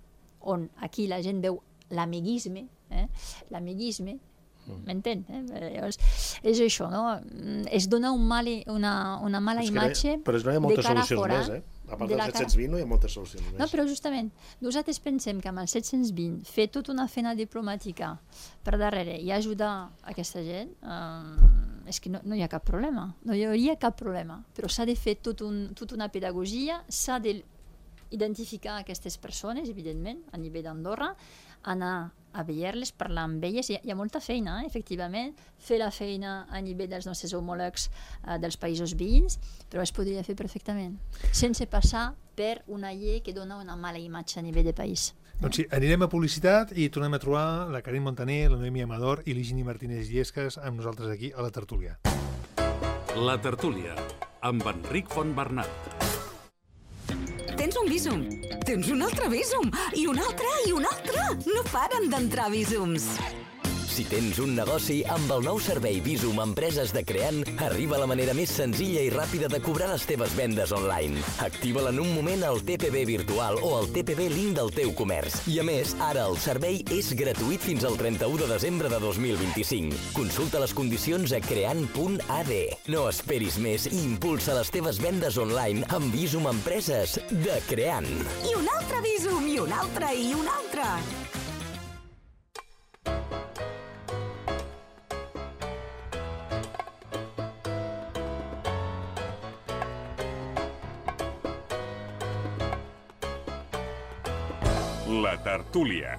on aquí la gent veu l'amiguisme, eh? l'amiguisme, m'entén? Eh? És això, no? Es dona un mal, una, una mala imatge de cara a fora. Però no hi ha moltes solucions més, eh? A part del set-cents vint no hi ha moltes solucions més. No, però justament, nosaltres pensem que amb el set-cents vint fer tota una feina diplomàtica per darrere i ajudar aquesta gent, eh, és que no, no hi ha cap problema, no hi hauria cap problema, però s'ha de fer tot un, tota una pedagogia, s'ha d'identificar aquestes persones, evidentment, a nivell d'Andorra, anar a veure-les, parlar amb elles, hi ha, hi ha molta feina, eh, efectivament, fer la feina a nivell dels nostres homòlegs eh, dels països veïns, però es podria fer perfectament, sense passar per una llei que dona una mala imatge a nivell de país. Doncs sí, anirem a publicitat i tornem a trobar la Karin Montaner, la Noemi Amador i l'Higini Martínez Llesques amb nosaltres aquí a la tertúlia. La tertúlia, amb Enric Fontbernat. Tens un Bizum, tens un altre Bizum, i un altre, i un altre. No paren d'entrar Bizums. Si tens un negoci, amb el nou servei Bizum Empreses de Creant, arriba la manera més senzilla i ràpida de cobrar les teves vendes online. Activa-la en un moment al T P B virtual o al T P B link del teu comerç. I a més, ara el servei és gratuït fins al trenta-u de desembre de dos mil vint-i-cinc. Consulta les condicions a creant punt a d. No esperis més i impulsa les teves vendes online amb Bizum Empreses de Creant. I un altre Bizum, i un altre, i un altre. La tertúlia.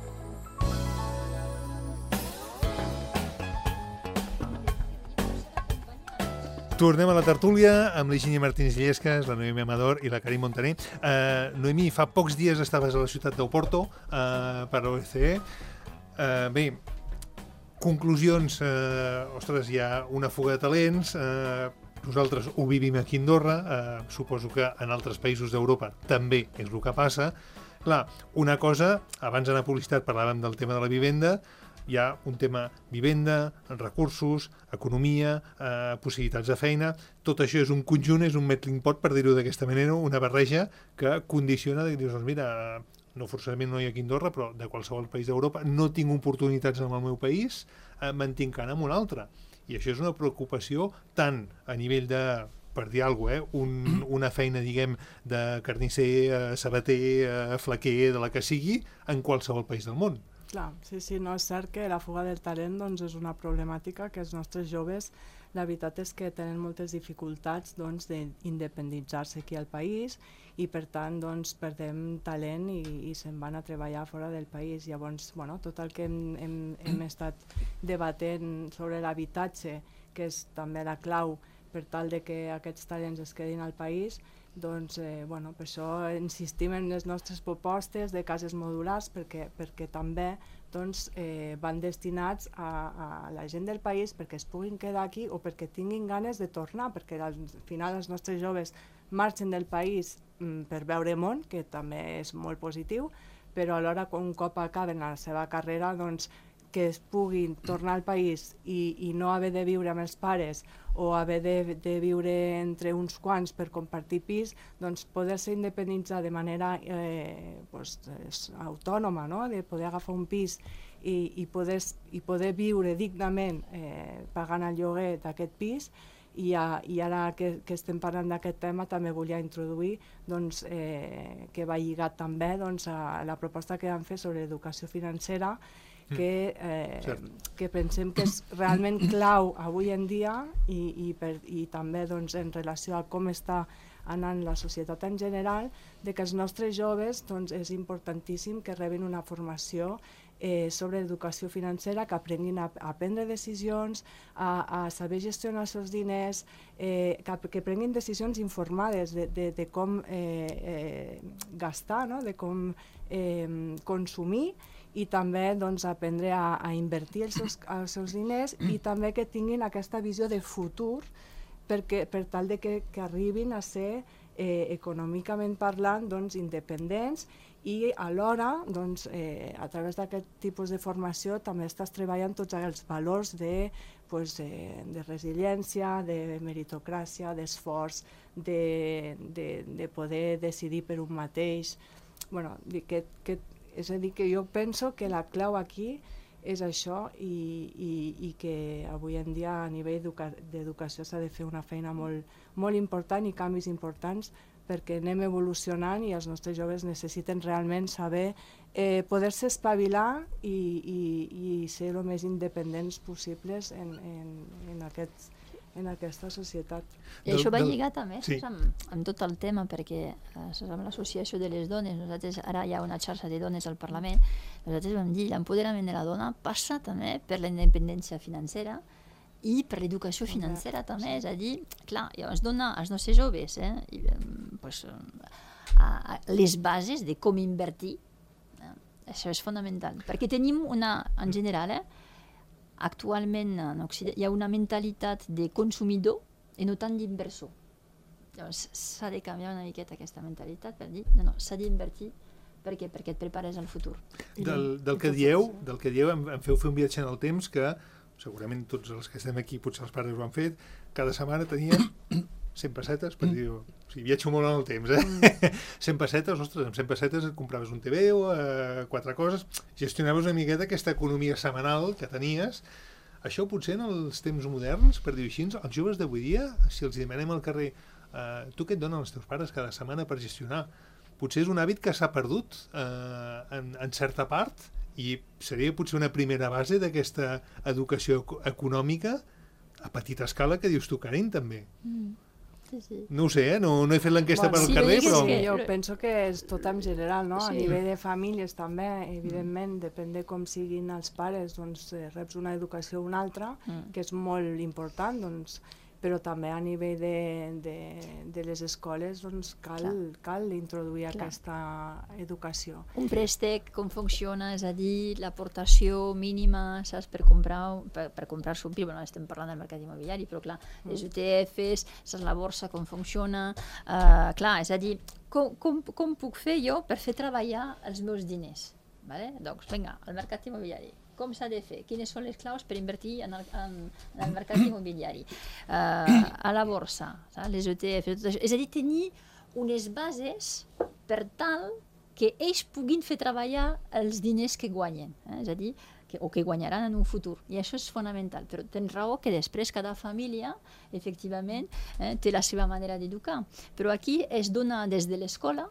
Tornem a la tertúlia amb l'Higini Martínez Llesques, la Noemi Amador i la Karin Montaner. Uh, Noemi, fa pocs dies estaves a la ciutat d'Oporto uh, per l'O E C E. Uh, bé, conclusions, uh, ostres, hi ha una fuga de talents, uh, nosaltres ho vivim aquí a Andorra, uh, suposo que en altres països d'Europa també és el que passa. Clar, una cosa, abans d'anar a publicitat parlàvem del tema de la vivenda, hi ha un tema vivenda, recursos, economia, eh, possibilitats de feina, tot això és un conjunt, és un melting pot, per dir-ho d'aquesta manera, una barreja que condiciona, de dir, doncs mira, no forçosament no hi ha aquí a Andorra, però de qualsevol país d'Europa, no tinc oportunitats en el meu país, eh, me'n tinc que anar en un altre. I això és una preocupació tant a nivell de, per dir alguna cosa, eh? Un, una feina, diguem, de carnisser, eh, sabater, eh, flaquer, de la que sigui, en qualsevol país del món. Clar, sí, sí, no és cert que la fuga del talent doncs, és una problemàtica que els nostres joves, la veritat és que tenen moltes dificultats doncs, d'independitzar-se aquí al país i per tant doncs, perdem talent i, i se'n van a treballar fora del país. Llavors, bueno, tot el que hem, hem, hem estat debatent sobre l'habitatge, que és també la clau per tal de que aquests talents es quedin al país, doncs, eh, bueno, per això insistim en les nostres propostes de cases modulars perquè, perquè també doncs, eh, van destinats a, a la gent del país perquè es puguin quedar aquí o perquè tinguin ganes de tornar, perquè al final els nostres joves marxen del país mm, per veure món, que també és molt positiu, però alhora un cop acaben la seva carrera doncs, que es puguin tornar al país i, i no haver de viure amb els pares o haver de, de viure entre uns quants per compartir pis, doncs poder-se independitzar de manera eh, pues, autònoma, no? De poder agafar un pis i, i, poder, i poder viure dignament eh, pagant el lloguer d'aquest pis. I, a, i ara que, que estem parlant d'aquest tema també volia introduir doncs, eh, que va lligat també doncs, a la proposta que vam fer sobre educació financera, que, eh, que pensem que és realment clau avui en dia i, i, per, i també doncs, en relació a com està anant la societat en general, de que els nostres joves doncs, és importantíssim que rebin una formació eh, sobre educació financera, que aprenguin a, a prendre decisions, a, a saber gestionar els seus diners, eh, que, que prenguin decisions informades de, de, de com eh, eh, gastar, no? De com eh, consumir, i també doncs, aprendre a, a invertir els seus, els seus diners i també que tinguin aquesta visió de futur perquè, per tal de que, que arribin a ser eh, econòmicament parlant doncs, independents i alhora doncs, eh, a través d'aquest tipus de formació també estàs treballant tots els valors de, pues, eh, de resiliència, de meritocràcia, d'esforç, de, de, de poder decidir per un mateix. Bueno, que, que, és a dir, que jo penso que la clau aquí és això i, i, i que avui en dia a nivell d'educació s'ha de fer una feina molt, molt important i canvis importants perquè anem evolucionant i els nostres joves necessiten realment saber eh, poder-se espavilar i, i, i ser el més independents possibles en, en, en, aquest, en aquesta societat. I això va lligat també sí. amb, amb tot el tema, perquè eh, amb l'associació de les dones, nosaltres ara hi ha una xarxa de dones al Parlament, nosaltres vam dir l'empoderament de la dona passa també per la independència financera i per l'educació financera també, és a dir, clar, es dona als nostres joves eh, i, pues, a, a les bases de com invertir, eh, això és fonamental, perquè tenim una, en general, eh, actualment en Occident, hi ha una mentalitat de consumidor i no tant d'inversor. Llavors s'ha de canviar una miqueta aquesta mentalitat per dir, no, no, s'ha d'invertir perquè, perquè et prepares al futur. Del, del, que dieu, del que dieu, em, em feu fer un viatge en el temps que segurament tots els que estem aquí, potser els pares ho han fet, cada setmana tenies cent pessetes, per dir, o sigui, viatjo molt en el temps, eh? cent pessetes, ostres, amb cent pessetes et compraves un T V o eh, quatre coses, gestionaves una miqueta aquesta economia setmanal que tenies. Això potser en els temps moderns, per dir-ho així, els joves d'avui dia, si els demanem al carrer, eh, tu què et donen els teus pares cada setmana per gestionar? Potser és un hàbit que s'ha perdut eh, en, en certa part, i seria potser una primera base d'aquesta educació econòmica a petita escala que dius tu, Karin, també. Mm. Sí, sí. No ho sé, eh? no, no he fet l'enquesta bueno, per al sí, carrer, però... Sí, jo penso que és tot en general, no? Sí. A nivell de famílies també, evidentment, depèn de com siguin els pares, doncs eh, reps una educació o una altra, Mm. que és molt important, doncs, però també a nivell de, de, de les escoles doncs cal, cal introduir Clar. aquesta educació. Un préstec, com funciona, és a dir, l'aportació mínima, saps, per comprar, per, per comprar-se un pis, bueno, estem parlant del mercat immobiliari, però clar, les U T Fs, saps, la borsa, com funciona, uh, clar, és a dir, com, com, com puc fer jo per fer treballar els meus diners? Vale? Doncs, vinga, el mercat immobiliari. Com s'ha de fer? Quines són les claus per invertir en el, en, en el mercat immobiliari? Uh, a la borsa, saps? Les U T F, tot això. És a dir, tenir unes bases per tal que ells puguin fer treballar els diners que guanyen, eh? És a dir, que, o que guanyaran en un futur. I això és fonamental. Però tens raó que després cada família, efectivament, eh, té la seva manera d'educar. Però aquí es dona des de l'escola,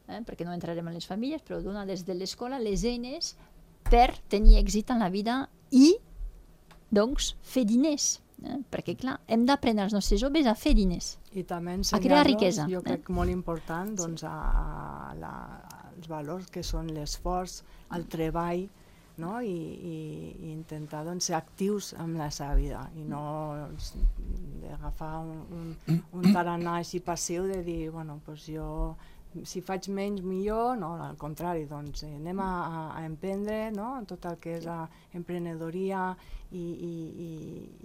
eh, perquè no entrarem en les famílies, però dona des de l'escola les eines per tenir èxit en la vida i, doncs, fer diners. Eh? Perquè, clar, hem d'aprendre els nostres joves a fer diners. I també a crear riquesa. Jo crec eh? molt important doncs, a, a la, als valors que són l'esforç, el treball, no? I, i, i intentar doncs, ser actius amb la seva vida i no doncs, agafar un, un, un tarannà així passiu de dir, bueno, doncs jo si faig menys millor, no, al contrari, doncs eh, anem a, a emprendre, no?, tot el que és la emprenedoria i, i, i,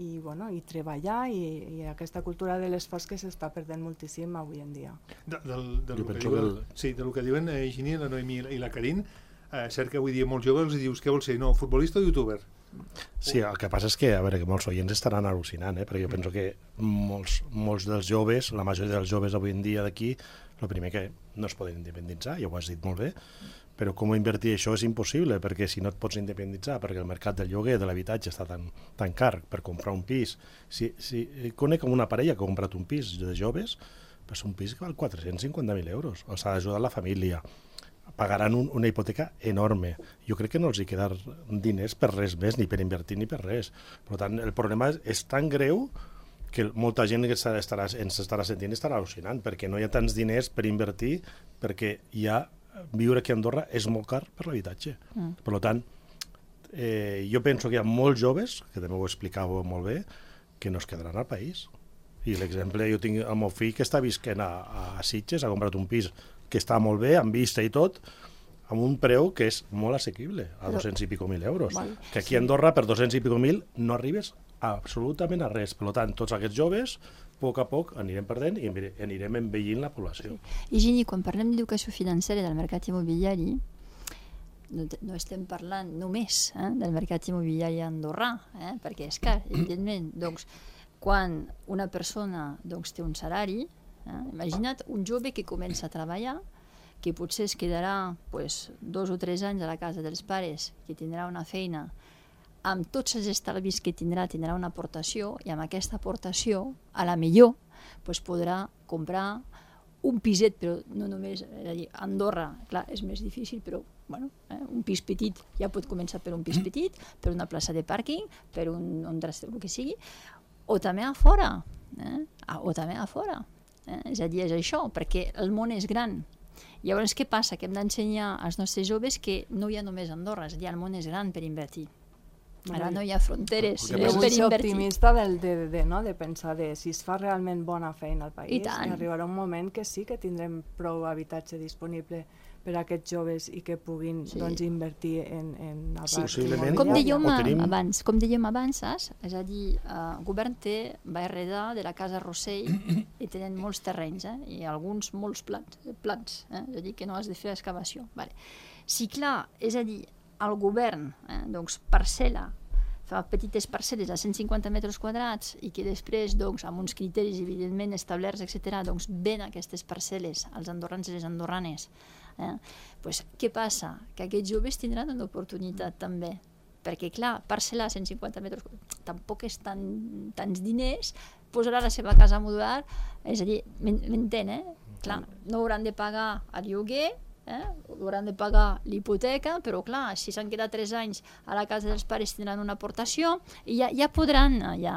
i, bueno, i treballar i, i aquesta cultura de l'esforç que s'està perdent moltíssim avui en dia. De, del, del Jo que penso diuen, que el- sí, del que diuen eh, Gini, la Noemi i la Karin, eh, cert que avui dia molts joves els dius què vols ser, no, futbolista o youtuber? Sí, el que passa és que, a veure, que molts oients estaran al·lucinant, eh? perquè jo penso que molts, molts dels joves, la majoria dels joves avui en dia d'aquí, el primer que no es poden independitzar, ja ho has dit molt bé, però com invertir això és impossible, perquè si no et pots independitzar, perquè el mercat del lloguer, de l'habitatge està tan, tan car per comprar un pis. Si, si conec una parella que ha comprat un pis de joves, és un pis que val quatre-cents cinquanta mil euros, els ha d'ajudar la família, pagaran un, una hipoteca enorme. Jo crec que no els hi quedar diners per res més, ni per invertir ni per res. Per tant, el problema és, és tan greu que molta gent que estarà, ens estarà sentint estarà al·lucinant, perquè no hi ha tants diners per invertir, perquè ja viure aquí a Andorra és molt car per l'habitatge. Mm. Per tant, eh, jo penso que hi ha molts joves, que també ho explicàveu molt bé, que no es quedaran al país. I l'exemple, jo tinc el meu fill que està visquent a, a Sitges, ha comprat un pis que està molt bé, amb vista i tot, amb un preu que és molt assequible, a dos-cents i pico mil euros. Val, Que aquí a Andorra, per dos-cents i pico mil, no arribes absolutament a res. Per tant, tots aquests joves a poc a poc anirem perdent i anirem envellint la població. I Gini, quan parlem d'educació financera del mercat immobiliari, no, no estem parlant només eh, del mercat immobiliari andorrà, eh, perquè és clar, evidentment, doncs, quan una persona doncs, té un salari, eh, imagina't un jove que comença a treballar, que potser es quedarà pues, dos o tres anys a la casa dels pares, que tindrà una feina, amb tots els estalvis que tindrà, tindrà una aportació, i amb aquesta aportació, a la millor, pues, podrà comprar un piset, però no només, és a dir, a Andorra, clar, és més difícil, però bueno, eh, un pis petit, ja pot començar per un pis petit, per una plaça de pàrquing, per un, un traster, el que sigui, o també a fora, eh? o també a fora. Eh? És a dir, és això, perquè el món és gran. Llavors, què passa? Que hem d'ensenyar als nostres joves que no hi ha només Andorra, és a dir, el món és gran per invertir. Ara no hi ha fronteres Jo per vull ser invertir. optimista del, de, de, no? de pensar de si es fa realment bona feina al país, I tant. arribarà un moment que sí que tindrem prou habitatge disponible per a aquests joves i que puguin Sí. doncs, invertir en, en la Sí. part Possiblement. Com immobiliària. dèiem, O tenim- abans, com dèiem abans, saps? És a dir, el govern té, va heredar de la Casa Rossell i tenen molts terrenys, eh? I alguns molts plans, plans eh? És a dir, que no has de fer excavació. Vale. Si clar, és a dir, el govern eh? doncs, parcel·la, fa petites parcel·les a cent cinquanta metres quadrats i que després, doncs, amb uns criteris evidentment establerts, etcètera, doncs, ven aquestes parcel·les als andorrans i les andorranes. Eh? Pues, què passa? Que aquests joves tindran una oportunitat també, perquè clar, parcel·lar cent cinquanta metres tampoc és tan, tants diners, posarà la seva casa modular, és a dir, m'entén, eh? Clar, no hauran de pagar el lloguer, eh? hauran de pagar l'hipoteca, però clar, si s'han quedat tres anys a la casa dels pares tindran una aportació i ja, ja podran ja,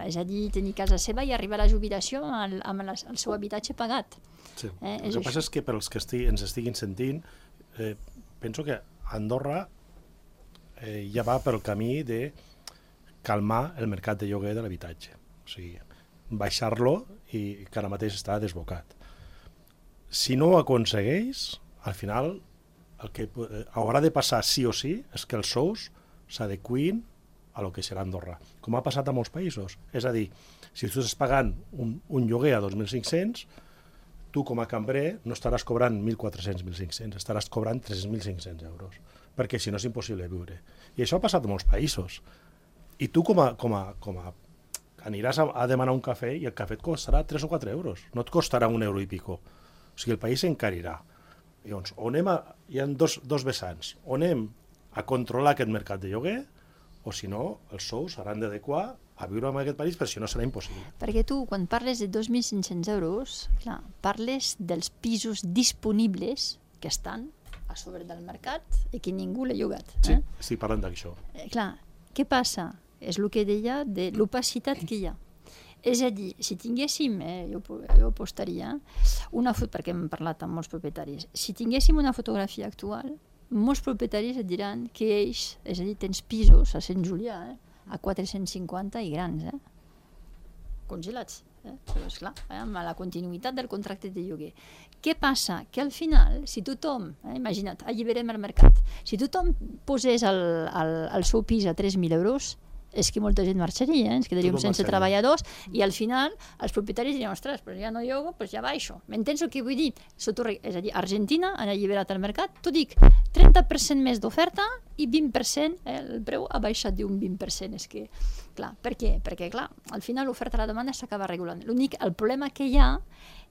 eh, és a dir, tenir casa seva i arribar a la jubilació al, amb la, el seu habitatge pagat. Sí. Eh, El que passa és que per als que estigui, ens estiguin sentint, eh, penso que Andorra eh, ja va pel camí de calmar el mercat de lloguer de l'habitatge. O sigui, baixar-lo i que ara mateix està desbocat. Si no ho aconsegueix, al final el que eh, haurà de passar sí o sí és que els sous s'adequin a lo que serà Andorra, com ha passat a molts països. És a dir, si tu estàs pagant un, un lloguer a dos mil cinc-cents, tu com a cambrer no estaràs cobrant mil quatre-cents, mil cinc-cents, estaràs cobrant tres mil cinc-cents euros, perquè si no és impossible viure. I això ha passat a molts països. I tu com a, com a, com a aniràs a, a demanar un cafè i el cafè et costarà tres o quatre euros, no et costarà un euro i pico. O sigui, el país s'encarirà. Llavors, o anem a, hi ha dos, dos vessants, o anem a controlar aquest mercat de lloguer, o si no, els sous s'hauran d'adequar a viure en aquest país, però si no serà impossible. Perquè tu, quan parles de dos mil cinc-cents euros, clar, parles dels pisos disponibles que estan a sobre del mercat i que ningú l'ha llogat. Sí, Eh? estic parlant d'això. Eh, clar, què passa? És el que deia de l'opacitat que hi ha. És a dir, si tinguéssim, eh, jo, jo apostaria, una foto, perquè hem parlat amb molts propietaris, si tinguéssim una fotografia actual, molts propietaris et diran que ells, és a dir, tens pisos a Sant Julià, eh, a quatre-cents cinquanta i grans, eh, congelats. Eh? Però esclar, eh, amb la continuïtat del contracte de lloguer. Què passa? Que al final, si tothom, eh, imagina't, alliberem el mercat, si tothom posés el, el, el seu pis a tres mil euros, és que molta gent marxaria, eh? Ens quedaríem Tothom sense marxaria. treballadors i al final els propietaris dirien, ostres, però ja no llogo, doncs ja baixo. M'entens el que vull dir? Sotorre... És a dir, Argentina han alliberat el mercat, t'ho dic, trenta per cent més d'oferta i vint per cent, eh, el preu ha baixat d'un vint per cent. És que, clar, per què? Perquè, clar, al final l'oferta i la demanda s'acaba regulant. L'únic, el problema que hi ha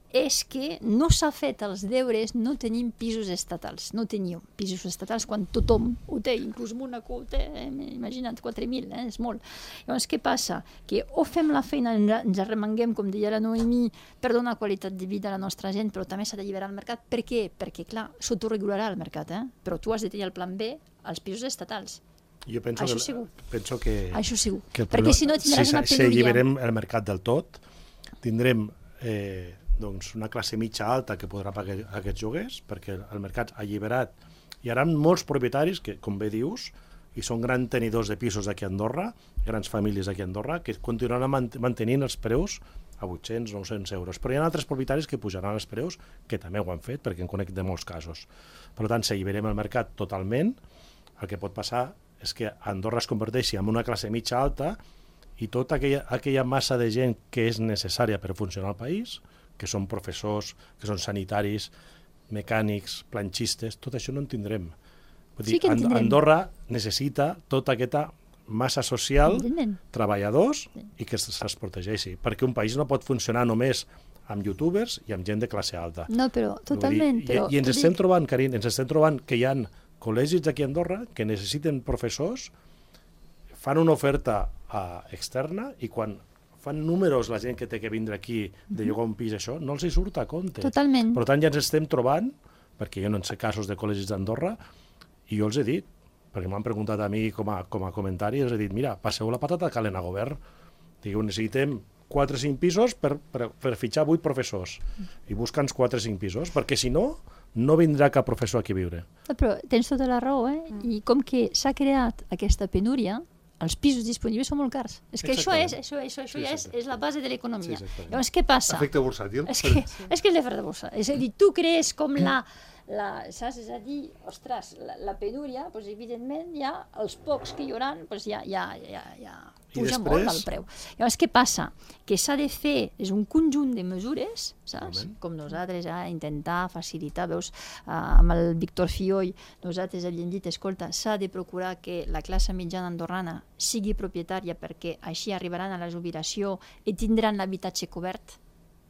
és que no s'ha fet els deures, no tenim pisos estatals, no teníem pisos estatals quan tothom ho té, inclús Mónaco ho té, eh? Imagina't, quatre mil, eh? És molt. Llavors, què passa? Que o fem la feina, ens arremanguem, com deia la Noemí, per donar qualitat de vida a la nostra gent, però també s'ha d'alliberar el mercat. Per què? Perquè, clar, s'autoregularà el mercat, eh? Però tu has de tenir el plan B, els pisos estatals. Jo penso Això que, segur. penso que, Això segur. que el Perquè problema- si no tindràs si, una Si penúria. alliberem el mercat del tot, tindrem eh, doncs una classe mitja alta que podrà pagar aquests lloguers, perquè el mercat ha alliberat. Hi haurà molts propietaris que, com bé dius, i són grans tenidors de pisos aquí a Andorra, grans famílies aquí a Andorra, que continuaran mant mantenint els preus a vuit-cents, nou-cents euros. Però hi ha altres propietaris que pujaran els preus, que també ho han fet, perquè en conec de molts casos. Per tant, si alliberem el mercat totalment, el que pot passar és que Andorra es converteixi en una classe mitja alta i tota aquella, aquella massa de gent que és necessària per funcionar al país, que són professors, que són sanitaris, mecànics, planchistes, tot això no en tindrem. Vull dir, Sí que en tindrem. Andorra necessita tota aquesta massa social, Evidentment. treballadors, i que se'ls protegeixi, perquè un país no pot funcionar només amb youtubers i amb gent de classe alta. No, però totalment. Vull dir, Però, I, I ens t'ho estem dic, trobant, Carin, ens estem trobant que hi ha col·legis d'aquí a Andorra que necessiten professors, fan una oferta uh, externa i quan fan números la gent que té que vindre aquí de llogar un pis, això, no els hi surt a compte. Totalment. Per tant, ja ens estem trobant, perquè jo no en sé casos de col·legis d'Andorra, i jo els he dit, perquè m'han preguntat a mi com a, com a comentari, els he dit, mira, passeu la patata calent a govern. Digueu, necessitem quatre o cinc pisos per, per, per fitxar vuit professors, i busca'ns quatre o cinc pisos, perquè si no, no vindrà cap professor aquí a viure. No, però tens tota la raó, eh? I com que s'ha creat aquesta penúria, els pisos disponibles són molt cars. És que això és, això, això, això Sí, ja és, exacte. és la base de l'economia. Sí, exactament. Llavors, què passa? Efecte bursàtil. És que, és que és l'efecte de borsa. És a dir, tu crees com la, la saps? És a dir, ostres, la, la penúria, doncs, evidentment, ja els pocs que hi haurà, doncs, ja, ja, ja, ja I puja després- molt el preu. Llavors, què passa? Que s'ha de fer, és un conjunt de mesures, saps? Totalment. Com nosaltres, a intentar facilitar, veus, uh, amb el Víctor Fioll, nosaltres havíem dit, escolta, s'ha de procurar que la classe mitjana andorrana sigui propietària perquè així arribaran a la jubilació i tindran l'habitatge cobert.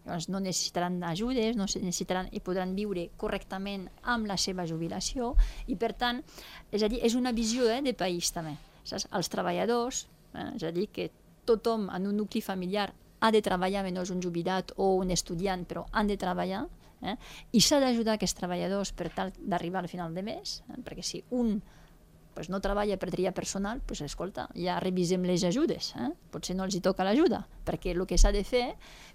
Llavors no necessitaran ajudes, no necessitaran i podran viure correctament amb la seva jubilació i per tant, és a dir, és una visió eh, de país també. Saps? Els treballadors, eh, és a dir, que tothom en un nucli familiar ha de treballar, menys un jubilat o un estudiant, però han de treballar, eh? I s'ha d'ajudar aquests treballadors per tal d'arribar al final de mes, eh? Perquè si un pues, no treballa per triar personal, pues, escolta, ja revisem les ajudes, eh? Potser no els hi toca l'ajuda, perquè el que s'ha de fer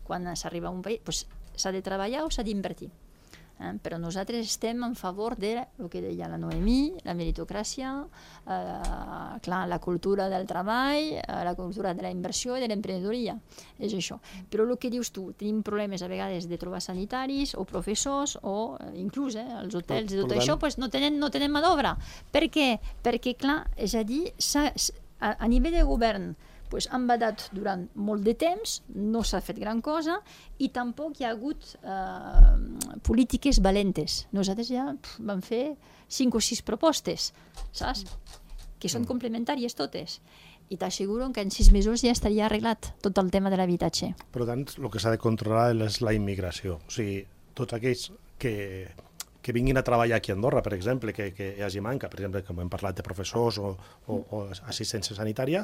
quan s'arriba a un país, pues, s'ha de treballar o s'ha d'invertir. Eh? Però nosaltres estem en favor de el que deia la Noemí, la meritocràcia, eh, clar, la cultura del treball, eh, la cultura de la inversió i de l'emprenedoria, és això. Però el que dius tu, tenim problemes a vegades de trobar sanitaris o professors o eh, inclús eh, els hotels i Per- tot per això tant- pues, no tenen, no tenen mà d'obra. Per què? Perquè, clar, és a dir, s'ha- a, a nivell de govern pues, han badat durant molt de temps, no s'ha fet gran cosa i tampoc hi ha hagut eh, polítiques valentes. Nosaltres ja pf, vam fer cinc o sis propostes, saps? Que són complementàries totes. I t'asseguro que en sis mesos ja estaria arreglat tot el tema de l'habitatge. Per tant, el que s'ha de controlar és la immigració. O sigui, tots aquells que, que vinguin a treballar aquí a Andorra, per exemple, que, que hi hagi manca, per exemple, com hem parlat de professors o, o, o assistència sanitària,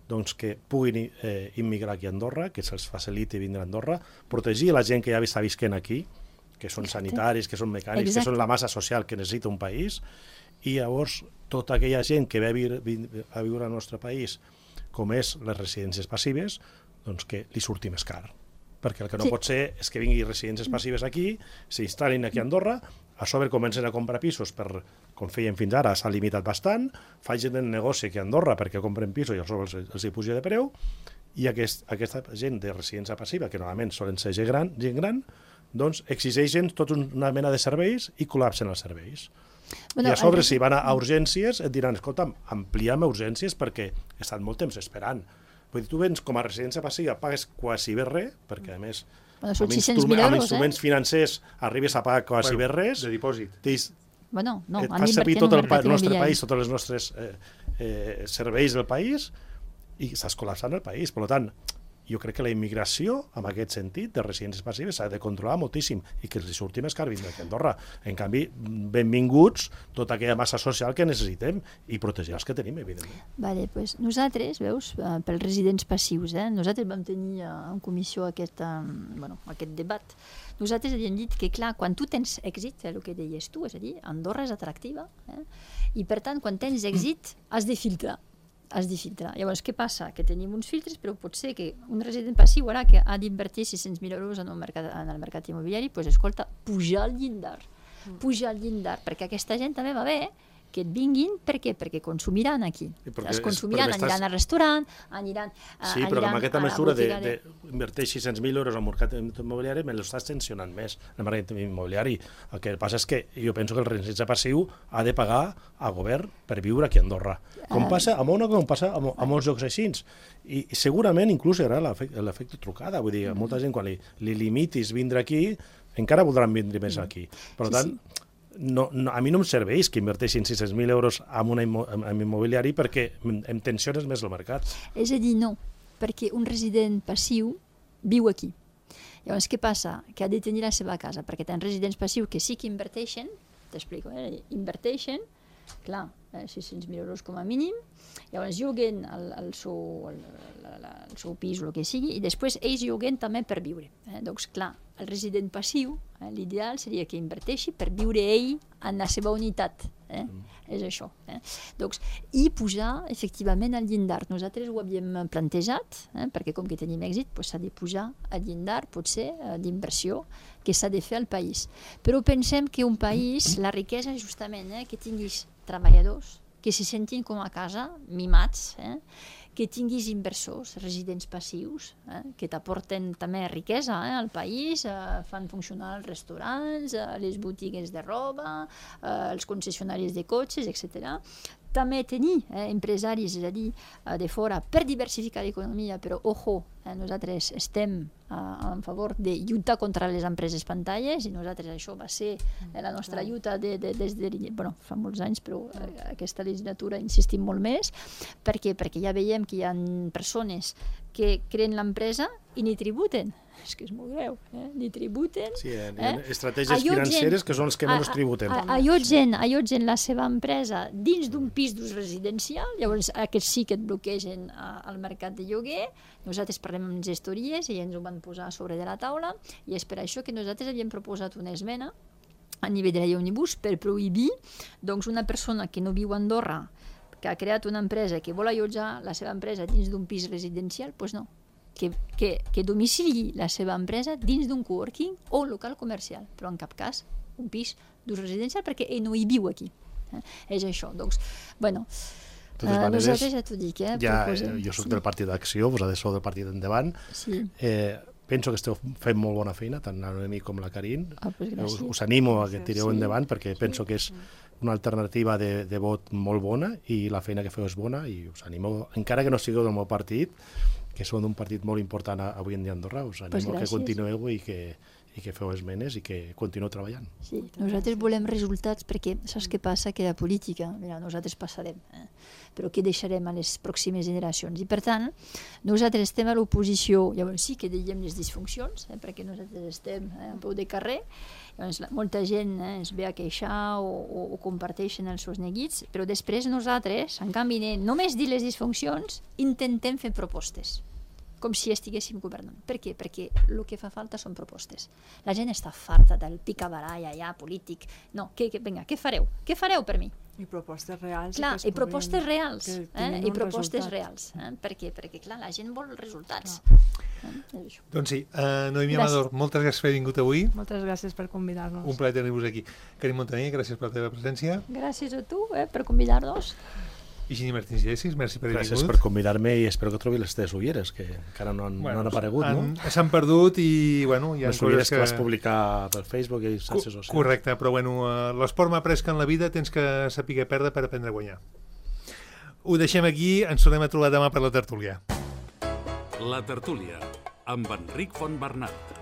doncs que puguin eh, immigrar aquí a Andorra, que se'ls faciliti vindre a Andorra, protegir la gent que ja està visquent aquí, que són Exacte. sanitaris, que són mecànics, Exacte. que són la massa social que necessita un país, i llavors tota aquella gent que ve a viure, a viure al nostre país, com és les residències passives, doncs que li surti més car. Perquè el que no Sí. pot ser és que vingui residències passives aquí, s'instal·lin aquí a Andorra, a sobre comencen a comprar pisos per, com feien fins ara, s'ha limitat bastant, facin el negoci aquí a Andorra perquè compren pisos i a sobre els, els hi puja de preu, i aquest, aquesta gent de residència passiva, que normalment solen ser gent gran, gent gran doncs exigeixen tota una mena de serveis i col·lapsen els serveis. Bueno, I a sobre, el- si van a, a urgències, et diran, escolta, ampliem a urgències perquè he estat molt temps esperant. Vull dir, tu vens com a residència passiva, pagues quasi bé res, perquè a més, Bueno, són amb, sis-cents instru mil amb euros, instruments eh? financers arribes a pagar quasi Bueno, bé res, de dipòsit. tens, Bueno, no, et han fas servir d'invertir en tot un el, pa- mercat el nostre immobiliari. país, tots els nostres eh, eh, serveis del país, i estàs col·lapsant el país. Per tant, jo crec que la immigració, en aquest sentit, de residències passives, s'ha de controlar moltíssim i que els surti més car vindre aquí a Andorra. En canvi, benvinguts tota aquella massa social que necessitem i protegir els que tenim, evidentment. Vale, pues nosaltres, veus, eh, pels residents passius, eh, nosaltres vam tenir eh, en comissió aquest, eh, bueno, aquest debat. Nosaltres havíem dit que, clar, quan tu tens èxit, eh, el que deies tu, és a dir, Andorra és atractiva, eh, i per tant, quan tens èxit, has de filtrar. Has de filtrar. Llavors, què passa? Que tenim uns filtres, però pot ser que un resident passiu ara que ha d'invertir sis-cents mil euros en, un mercat, en el mercat immobiliari, pues, escolta, pujar el llindar. Pujar el llindar, perquè aquesta gent també va bé que et vinguin, per què? Perquè consumiran aquí. Es consumiran, és, aniran estàs... al restaurant, aniran, sí, aniran però amb aquesta mesura de... d'invertir sis-cents mil euros al mercat immobiliari me l'estàs tensionant més, el mercat immobiliari. El que passa és que jo penso que el residència passiu ha de pagar al govern per viure aquí a Andorra. Com passa a Mona, com passa a, a molts llocs així. I segurament inclús hi haurà l'efecte trucada. Vull dir, molta gent quan li, li limitis vindre aquí, encara voldran vindre més aquí. Per tant, sí, sí. No, no, a mi no em serveix que inverteixin sis-cents mil euros en un immo, immobiliari perquè em tensiones més el mercat. És a dir, no, perquè un resident passiu viu aquí. Llavors, què passa? Que ha de tenir la seva casa, perquè tens residents passius que sí que inverteixen, t'explico, eh? inverteixen, clar, eh, sis-cents mil euros com a mínim, llavors lloguen el, el, seu, el, el, el seu pis o el que sigui, i després ells lloguen també per viure. Eh? Doncs clar, el resident passiu, eh, l'ideal seria que inverteixi per viure ell en la seva unitat. Eh? Mm. És això. Eh? Donc, i posar, efectivament, al llindar. Nosaltres ho havíem plantejat, eh? perquè com que tenim èxit, pues, s'ha de posar al llindar, potser, eh, d'inversió que s'ha de fer al país. Però pensem que un país, la riquesa, justament, eh, que tinguis treballadors, que se sentin com a casa, mimats, eh? que tinguis inversors, residents passius, eh? que t'aporten també riquesa eh? al país, eh? fan funcionar els restaurants, eh? les botigues de roba, eh? els concessionaris de cotxes, etcètera. També tenir eh, empresaris, és a dir, eh, de fora, per diversificar l'economia, però, ojo, eh, nosaltres estem eh, en favor de lluitar contra les empreses pantalles, i nosaltres això va ser eh, la nostra lluita de, de, des de, bueno, fa molts anys, però eh, aquesta legislatura insistim molt més, perquè, perquè ja veiem que hi ha persones que creen l'empresa i ni tributen. És que és molt greu, eh? ni tributen. Sí, hi ha eh? estratègies financeres que són els que menys tributen. Allotgen, allotgen la seva empresa dins d'un pis d'ús residencial, llavors aquests sí que et bloquegen al mercat de lloguer. Nosaltres parlem amb gestories i ens ho van posar sobre de la taula, i és per això que nosaltres havíem proposat una esmena a nivell de la llei Òmnibus per prohibir doncs, una persona que no viu a Andorra, que ha creat una empresa, que vol allotjar la seva empresa dins d'un pis residencial, doncs no. Que, que, que domicili la seva empresa dins d'un coworking o un local comercial, però en cap cas un pis d'ús residencial, perquè ell no hi viu aquí. Eh? És això. Doncs, bueno, eh, maneres, nosaltres ja t'ho dic. Eh, ja, proposem. Jo soc sí. del Partit d'Acció, vosaltres sou del Partit d'Endavant. Sí. Eh, penso que esteu fent molt bona feina, tant la Noemí com la Karin. Ah, pues us, us animo a que tireu sí. endavant, perquè sí. penso que és una alternativa de, de vot molt bona, i la feina que feu és bona, i us animo, encara que no sigueu del meu partit, que són un partit molt important avui en dia a Andorra, us animo pues que continueu i que, i que feu esmenes i que continueu treballant. Sí, nosaltres volem resultats, perquè saps què passa? Que la política, mira, nosaltres passarem, eh? però què deixarem a les pròximes generacions? I per tant, nosaltres estem a l'oposició, llavors sí que diem les disfuncions, eh? perquè nosaltres estem eh, a peu de carrer, llavors molta gent eh, es ve a queixar o, o, o comparteixen els seus neguits, però després nosaltres, en canvi, només dir les disfuncions, intentem fer propostes, com si estiguéssim governant. Per què? Perquè el que fa falta són propostes. La gent està farta del picabaralla ja polític. No, que, que, vinga, què fareu? Què fareu per mi? I propostes reals. Clar, i propostes reals. Eh? I propostes reals. Eh? Per què? Perquè, clar, la gent vol resultats. Eh? Doncs sí, uh, Noemí Amador, moltes gràcies per haver vingut avui. Moltes gràcies per convidar-nos. Un plaer tenir-vos aquí. Karin Montaner, gràcies per la teva presència. Gràcies a tu eh, per convidar-nos. Higini Martins Llesis, merci per haver vingut. Gràcies per convidar-me, i espero que trobi les teves ulleres, que encara no han, bueno, no han aparegut, han, no? S'han perdut i, bueno... Hi ha les ulleres que... que vas publicar per Facebook i xarxes socials. Correcte, però bueno, l'esport m'ha après que en la vida tens que saber perdre per aprendre a guanyar. Ho deixem aquí, ens tornem a trobar demà per la tertúlia. La tertúlia, amb Enric Fontbernat.